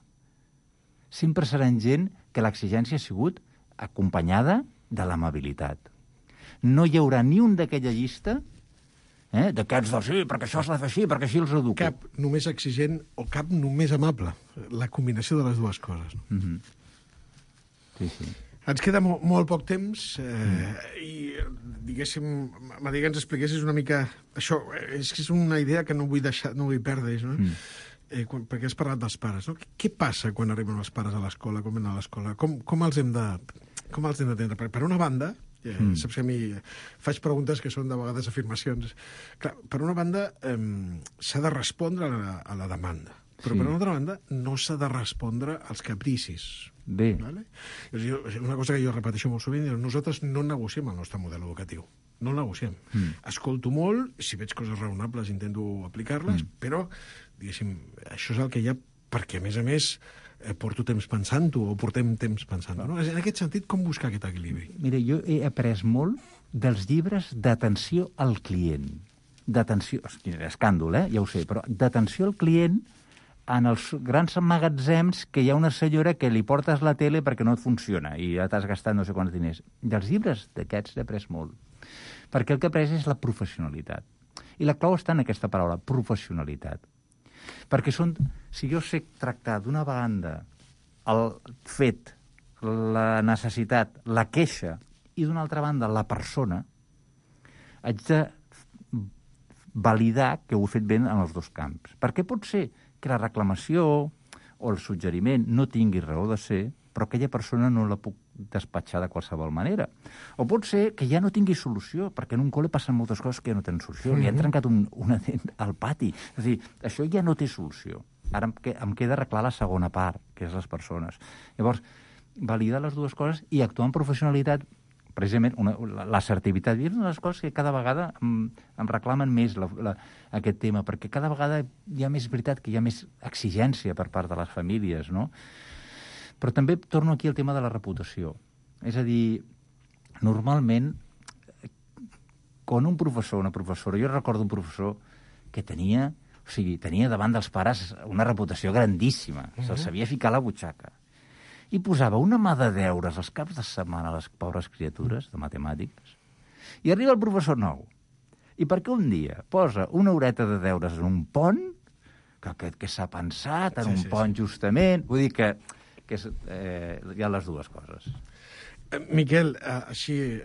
Sempre seran gent que l'exigència ha sigut acompanyada de l'amabilitat. No hi haurà ni un d'aquella llista d'aquests del sí, perquè això s'ha de fer així, perquè així els educo. Cap només exigent o cap només amable. La combinació de les dues coses. Sí. Ens queda molt poc temps i, diguéssim, m'agradaria que ens expliquessis una mica això. És una idea que no vull perdre, no? Perquè has parlat dels pares, no? Què passa quan arriben els pares a l'escola, com venen a l'escola? Com els hem d'atendre? Per una banda, saps que a mi faig preguntes que són de vegades afirmacions. Clar, per una banda, s'ha de respondre a la demanda, però per una altra banda no s'ha de respondre als capricis. Bé. Vale? Una cosa que jo repeteixo molt sovint, nosaltres no negociem el nostre model educatiu. No el negociem. Escolto molt, si veig coses raonables intento aplicar-les, però, diguéssim, això és el que hi ha perquè, a més, porto temps pensant-ho, o portem temps pensant-ho. No? En aquest sentit, com buscar aquest equilibri? Mira, jo he après molt dels llibres d'atenció al client. D'atenció, escàndol, ja ho sé, però d'atenció al client en els grans magatzems que hi ha una senyora que li portes la tele perquè no et funciona i ja t'has gastat no sé quants diners. Dels llibres d'aquests he après molt. Perquè el que he après és la professionalitat. I la clau està en aquesta paraula, professionalitat. Perquè si jo sé tractar d'una banda el fet, la necessitat, la queixa, i d'una altra banda la persona, haig de validar que ho he fet ben en els dos camps. Perquè pot ser que la reclamació o el suggeriment no tingui raó de ser, però aquella persona no la puc despatxar de qualsevol manera. O pot ser que ja no tingui solució, perquè en un col·le passen moltes coses que ja no tenen solució. Li han trencat una dent al pati. És a dir, això ja no té solució. Ara em queda arreglar la segona part, que és les persones. Llavors, validar les dues coses i actuar amb professionalitat, precisament l'assertivitat. És una de les coses que cada vegada em reclamen més aquest tema, perquè cada vegada hi ha més veritat que hi ha més exigència per part de les famílies, no? Però també torno aquí al tema de la reputació. És a dir, normalment, quan un professor o una professora... Jo recordo un professor que tenia davant dels pares una reputació grandíssima. Se'l sabia ficar a la butxaca. I posava una mà de deures als caps de setmana a les pobres criatures de matemàtiques. I arriba el professor nou. I perquè un dia posa una horeta de deures en un pont, que s'ha pensat en un pont justament... Vull dir que hi ha les dues coses. Miquel, així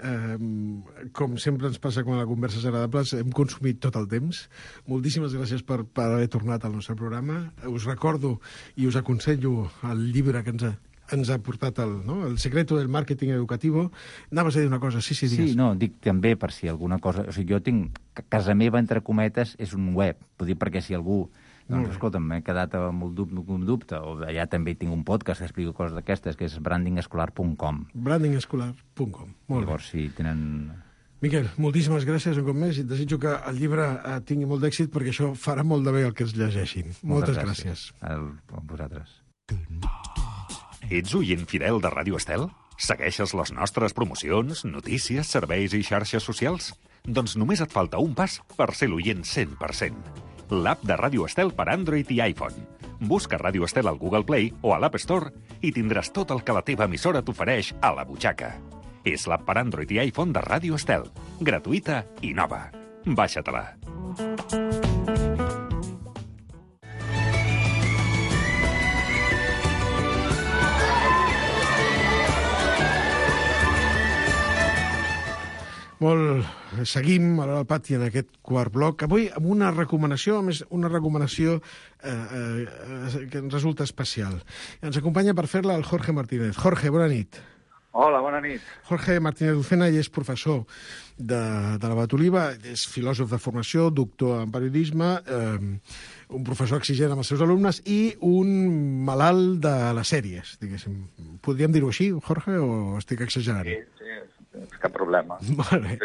com sempre ens passa quan la conversa és agradable, hem consumit tot el temps. Moltíssimes gràcies per haver tornat al nostre programa. Us recordo i us aconsello el llibre que ens ha portat El secreto del marketing educativo. Anaves a dir una cosa, sí, digues. Sí, no, dic també per si alguna cosa... O sigui, jo tinc... Casa meva, entre cometes, és un web. Vull dir, perquè si algú... Doncs, escolta, m'he quedat amb un dubte, o allà també tinc un podcast que explico coses d'aquestes, que és brandingescolar.com. Brandingescolar.com. Llavors, si tenen... Miquel, moltíssimes gràcies un cop més i desitjo que el llibre tingui molt d'èxit perquè això farà molt de bé el que es llegeixin. Moltes gràcies. A vosaltres. Ets oient fidel de Ràdio Estel? Segueixes les nostres promocions, notícies, serveis i xarxes socials? Doncs només et falta un pas per ser l'oient 100%. L'app de Ràdio Estel per Android i iPhone. Busca Ràdio Estel al Google Play o a l'App Store i tindràs tot el que la teva emissora t'ofereix a la butxaca. És l'app per Android i iPhone de Ràdio Estel. Gratuïta i nova. Baixa-te-la. Seguim a l'Hora del Pati en aquest quart bloc. Avui amb una recomanació, a més, una recomanació que ens resulta especial. Ens acompanya per fer-la el Jorge Martínez. Jorge, bona nit. Hola, bona nit. Jorge Martínez Lucena és professor de la Batoliva, és filòsof de formació, doctor en periodisme, un professor exigent amb els seus alumnes i un malalt de les sèries, diguéssim. Podríem dir-ho així, Jorge, o estic exagerant? Sí, cap problema. Vale.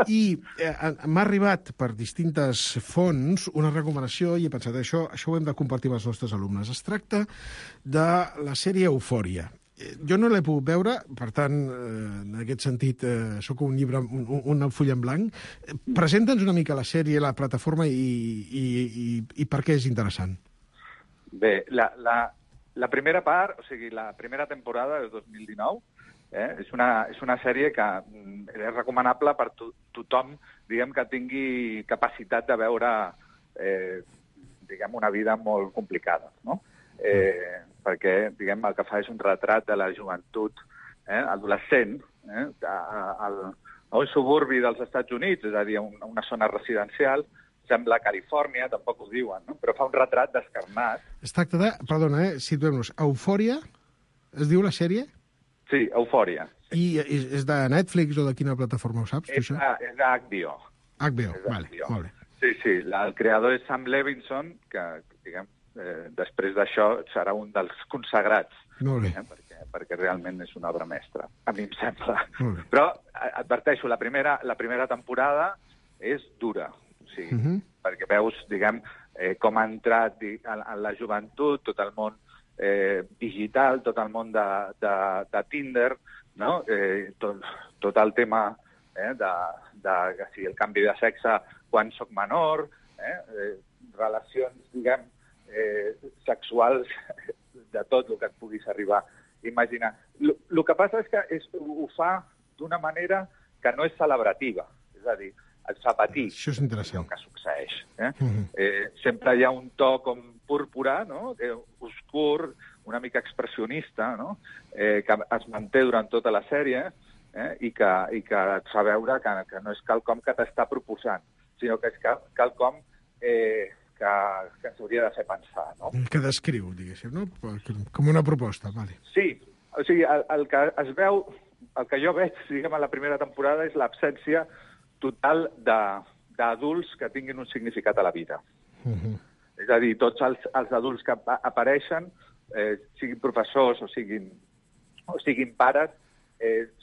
I m'ha arribat per distintes fonts una recomanació i he pensat, això ho hem de compartir amb els nostres alumnes. Es tracta de la sèrie Eufòria. Jo no l'he pogut veure, per tant, en aquest sentit, sóc un llibre, un full en blanc. Presenta'ns una mica la sèrie, la plataforma i per què és interessant. Bé, la primera part, o sigui, la primera temporada del 2019, és una sèrie que és recomanable per tothom, diguem, que tingui capacitat de veure, diguem, una vida molt complicada, no? Perquè, diguem, el que fa és un retrat de la joventut adolescent a un suburbi dels Estats Units, és a dir, una zona residencial, sembla Califòrnia, tampoc ho diuen, no? Però fa un retrat descarnat. Es tracta de, perdona, situem-nos, Eufòria, es diu la sèrie? Sí, Eufòria. I és de Netflix o de quina plataforma, ho saps? És d'HBO. HBO, vale, molt bé. Sí, el creador és Sam Levinson, que, diguem, després d'això serà un dels consagrats. Molt bé. Perquè realment és una obra mestra, a mi em sembla. Però, adverteixo, la primera temporada és dura. O sigui, perquè veus, diguem, com ha entrat en la joventut, tot el món digital, tot el món de Tinder, no? Tot el tema de si el canvi de sexe quan soc menor, relacions, diguem, sexuals de tot el que et puguis arribar a imaginar. El que passa és que ho fa d'una manera que no és celebrativa, és a dir, et fa patir. Això és interessant. El que succeeix. Sempre hi ha un to com púrpura, no? Oscur, una mica expressionista, no? Que es manté durant tota la sèrie i que et fa veure que no és quelcom que t'està proposant, sinó que és quelcom que ens hauria de fer pensar, no? Que descriu, diguéssim, no? Com una proposta, vale. Sí, o sigui, el que es veu, el que jo veig, diguem, a la primera temporada és l'absència total d'adults que tinguin un significat a la vida. És a dir, tots els adults que apareixen, siguin professors o siguin pares,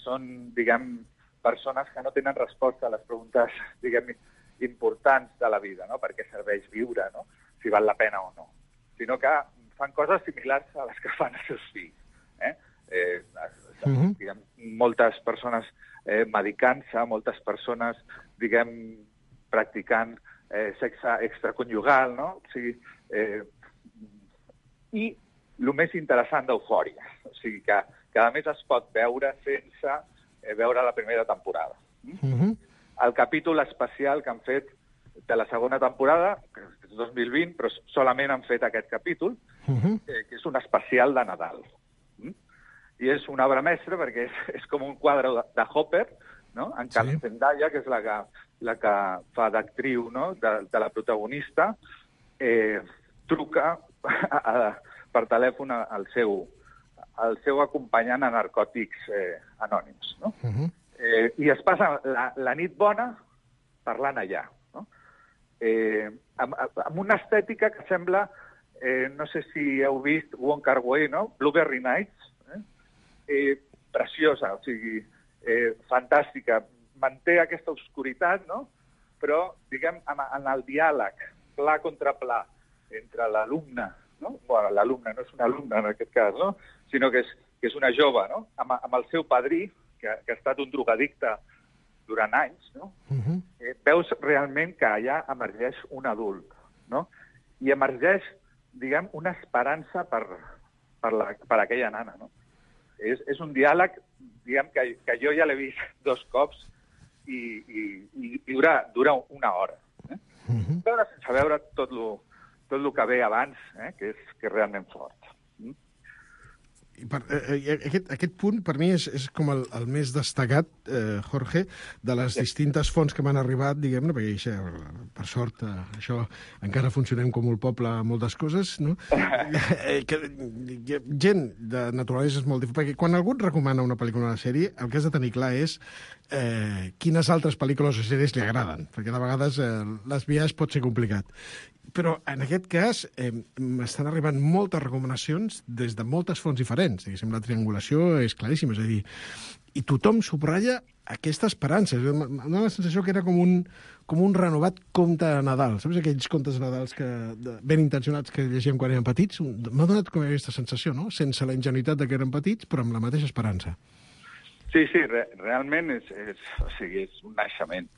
són, diguem, persones que no tenen resposta a les preguntes, diguem, importants de la vida, no? Per què serveix viure, no? Si val la pena o no. Sinó que fan coses similars a les que fan els seus fills. Diguem, moltes persones medicant-se, moltes persones, diguem, practicant sexe extraconyugal, no? O sigui, i el més interessant d'Eufòria, o sigui, que a més es pot veure sense veure la primera temporada. El capítol especial que han fet de la segona temporada, que és 2020, però solament han fet aquest capítol, que és un especial de Nadal. I és una obra mestra perquè és com un quadre de Hopper, no? En Carmen Zendaya, que és la que fa d'actriu, no? De la protagonista, truca per telèfon al seu acompanyant a Narcòtics Anònims, no? I es passa la nit bona parlant allà, no? Amb una estètica que sembla, no sé si heu vist Wong Kar-wai, no? Blueberry Nights, preciosa, o sigui, fantàstica. Manté aquesta obscuritat, no? Però, diguem, en el diàleg, pla contra pla, entre l'alumne, no? Bueno, l'alumne no és una alumna en aquest cas, no? Sinó que és una jove, no? Amb el seu padrí, que ha estat un drogadicte durant anys, no? Veus realment que allà emergeix un adult, no? I emergeix, diguem, una esperança per aquella nana, no? És un diàleg, diguem, que jo ja l'he vist 2 cops i dura una hora. Veure sense veure tot el que ve abans, que és realment fort. Aquest punt, per mi, és com el més destacat, Jorge, de les distintes fonts que m'han arribat, diguem-ne, perquè per sort això encara funcionem com un poble a moltes coses, no? Gent de naturalesa és molt diferent, perquè quan algú et recomana una pel·lícula o una sèrie, el que has de tenir clar és quines altres pel·lícules o sèries li agraden, perquè de vegades l'esbiaix pot ser complicat. Però en aquest cas m'estan arribant moltes recomanacions des de moltes fonts diferents. Diguéssim, la triangulació és claríssima, és a dir, i tothom subratlla aquesta esperança. Em dóna la sensació que era com un renovat conte de Nadal. Saps aquells contes de Nadals ben intencionats que llegíem quan érem petits? M'ha donat com aquesta sensació, no? Sense la ingenuïtat de que érem petits, però amb la mateixa esperança. Sí, realment és un naixement.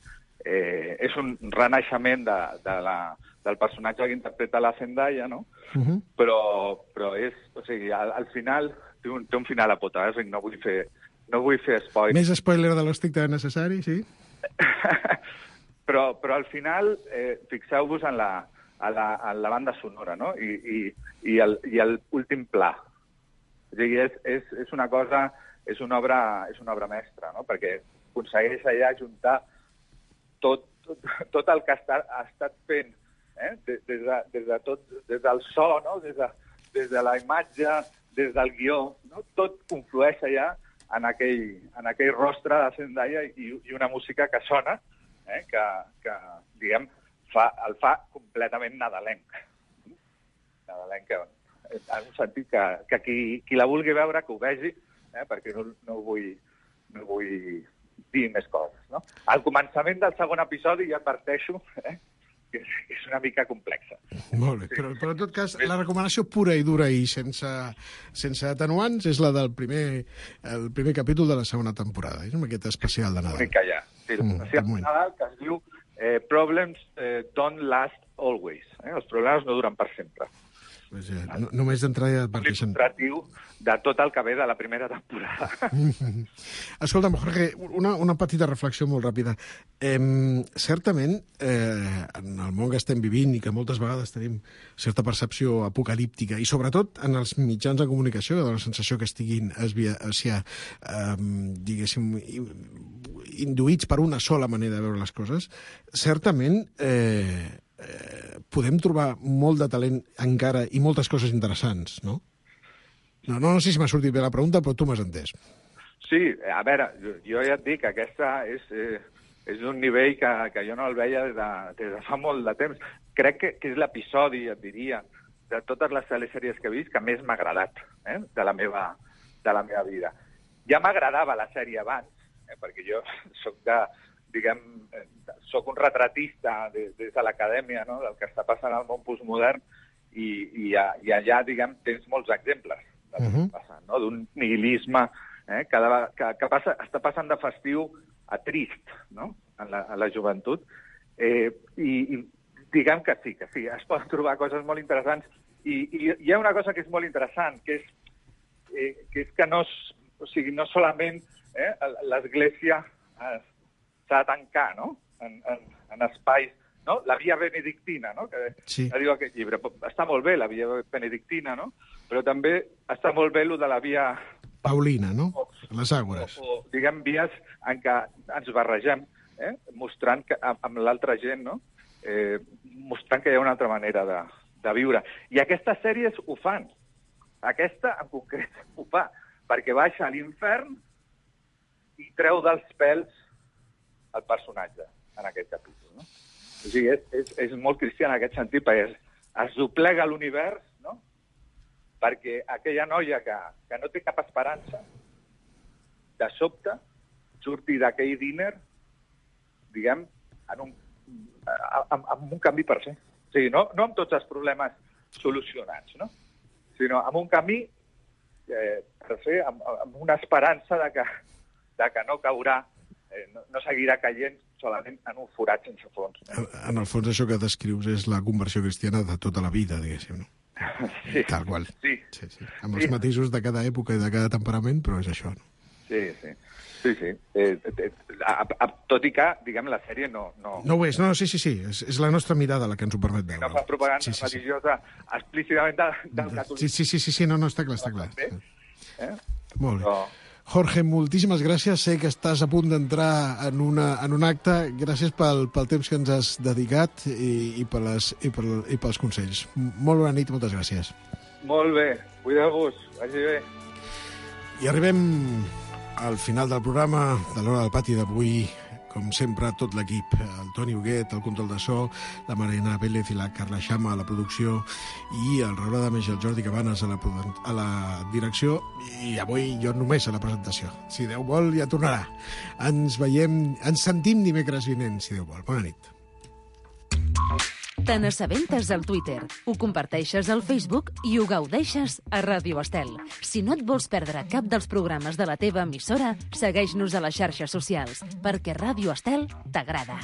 És un renaixement del personatge que interpreta la Zendaya, no? Però és... O sigui, al final té un final apotèutic, no vull fer spoiler. Més spoiler de l'estrictament necessari, sí? Però al final, fixeu-vos en la banda sonora, no? I l'últim pla. O sigui, és una cosa... És una obra mestra, no? Perquè aconsegueix allà juntar tot el que ha estat fent, des del so, no? Des de la imatge, des del guió, no? Tot conflueix allà en aquell rostre de Zendaya i una música que sona, que diguem, el fa completament nadalenc. Nadalenc, en un sentit que qui la vulgui veure, que ho vegi, perquè no vull dir més coses. No? Al començament del segon episodi ja adverteixo que és una mica complexa. Molt bé, però en tot cas, la recomanació pura i dura i sense atenuants és la del el primer capítol de la segona temporada, amb aquest especial de Nadal. L'únic que hi ha. Sí, l'especial de Nadal que es diu Problems don't last always. Els problemes no duren per sempre. Pues només d'entrada ja adverteixen. Il·lustratiu de tot el que ve de la primera temporada. Escolta'm, Jorge, una petita reflexió molt ràpida. Certament, en el món que estem vivint i que moltes vegades tenim certa percepció apocalíptica, i sobretot en els mitjans de comunicació, que dona la sensació que estiguin diguéssim, induïts per una sola manera de veure les coses, certament podem trobar molt de talent encara i moltes coses interessants, no? No sé si m'ha sortit bé la pregunta, però tu m'has entès. Sí, a veure, jo ja et dic que aquesta és un nivell que jo no el veia des de fa molt de temps. Crec que és l'episodi, et diria, de totes les telesèries que he vist que més m'ha agradat de la meva vida. Ja m'agradava la sèrie abans, perquè jo soc un retratista des de l'acadèmia, no?, del que està passant al món postmodern i allà, diguem, tens molts exemples del que està passant, no?, d'un nihilisme que està passant de festiu a trist, no?, en la joventut. I diguem que sí, es poden trobar coses molt interessants. I hi ha una cosa que és molt interessant, que és que no solament l'Església s'ha de tancar, no?, en espais, no?, la via benedictina, no?, que diu aquest llibre. Està molt bé la via benedictina, no?, però també està molt bé el de la via paulina, no?, les àgores. O diguem, vies en què ens barregem, mostrant que amb l'altra gent, no?, mostrant que hi ha una altra manera de viure. I aquestes sèries ho fan. Aquesta, en concret, ho fa, perquè baixa a l'infern i treu dels pèls el personatge en aquest capítol, no? O sigui, és molt cristià en aquest sentit, perquè es doblega l'univers, no?, perquè aquella noia que no té cap esperança, de sobte, surti d'aquell diner, diguem, amb un canvi per ser. O sigui, no amb tots els problemes solucionats, no?, sinó amb un camí per ser, amb una esperança de que no caurà, no seguirà caient solament en un forat sense fons. En el fons, això que descrius és la conversió cristiana de tota la vida, diguéssim, no? Sí. Tal qual. Sí. Amb els matisos de cada època i de cada temperament, però és això, no? Sí. Tot i que, diguem, la sèrie no ho és, no, sí. És la nostra mirada la que ens ho permet veure. No fa propaganda religiosa explícitament del catolicisme. Sí, no, està clar. Molt bé. No. Jorge, moltíssimes gràcies. Sé que estàs a punt d'entrar en un acte. Gràcies pel temps que ens has dedicat i pels consells. Molt bona nit, moltes gràcies. Molt bé, cuideu-vos, vagi bé. I arribem al final del programa de l'Hora del Pati d'avui. com sempre, tot l'equip, el Toni Huguet, el control de so, la Marina Vélez i la Carla Xama a la producció, i el Raül Adames i el Jordi Cabanes a la direcció, i avui jo només a la presentació. Si Déu vol, ja tornarà. Ens sentim dimecres vinent, si Déu vol. Bona nit. Te n'assabentes al Twitter, ho comparteixes al Facebook i ho gaudeixes a Ràdio Estel. Si no et vols perdre cap dels programes de la teva emissora, segueix-nos a les xarxes socials, perquè Ràdio Estel t'agrada.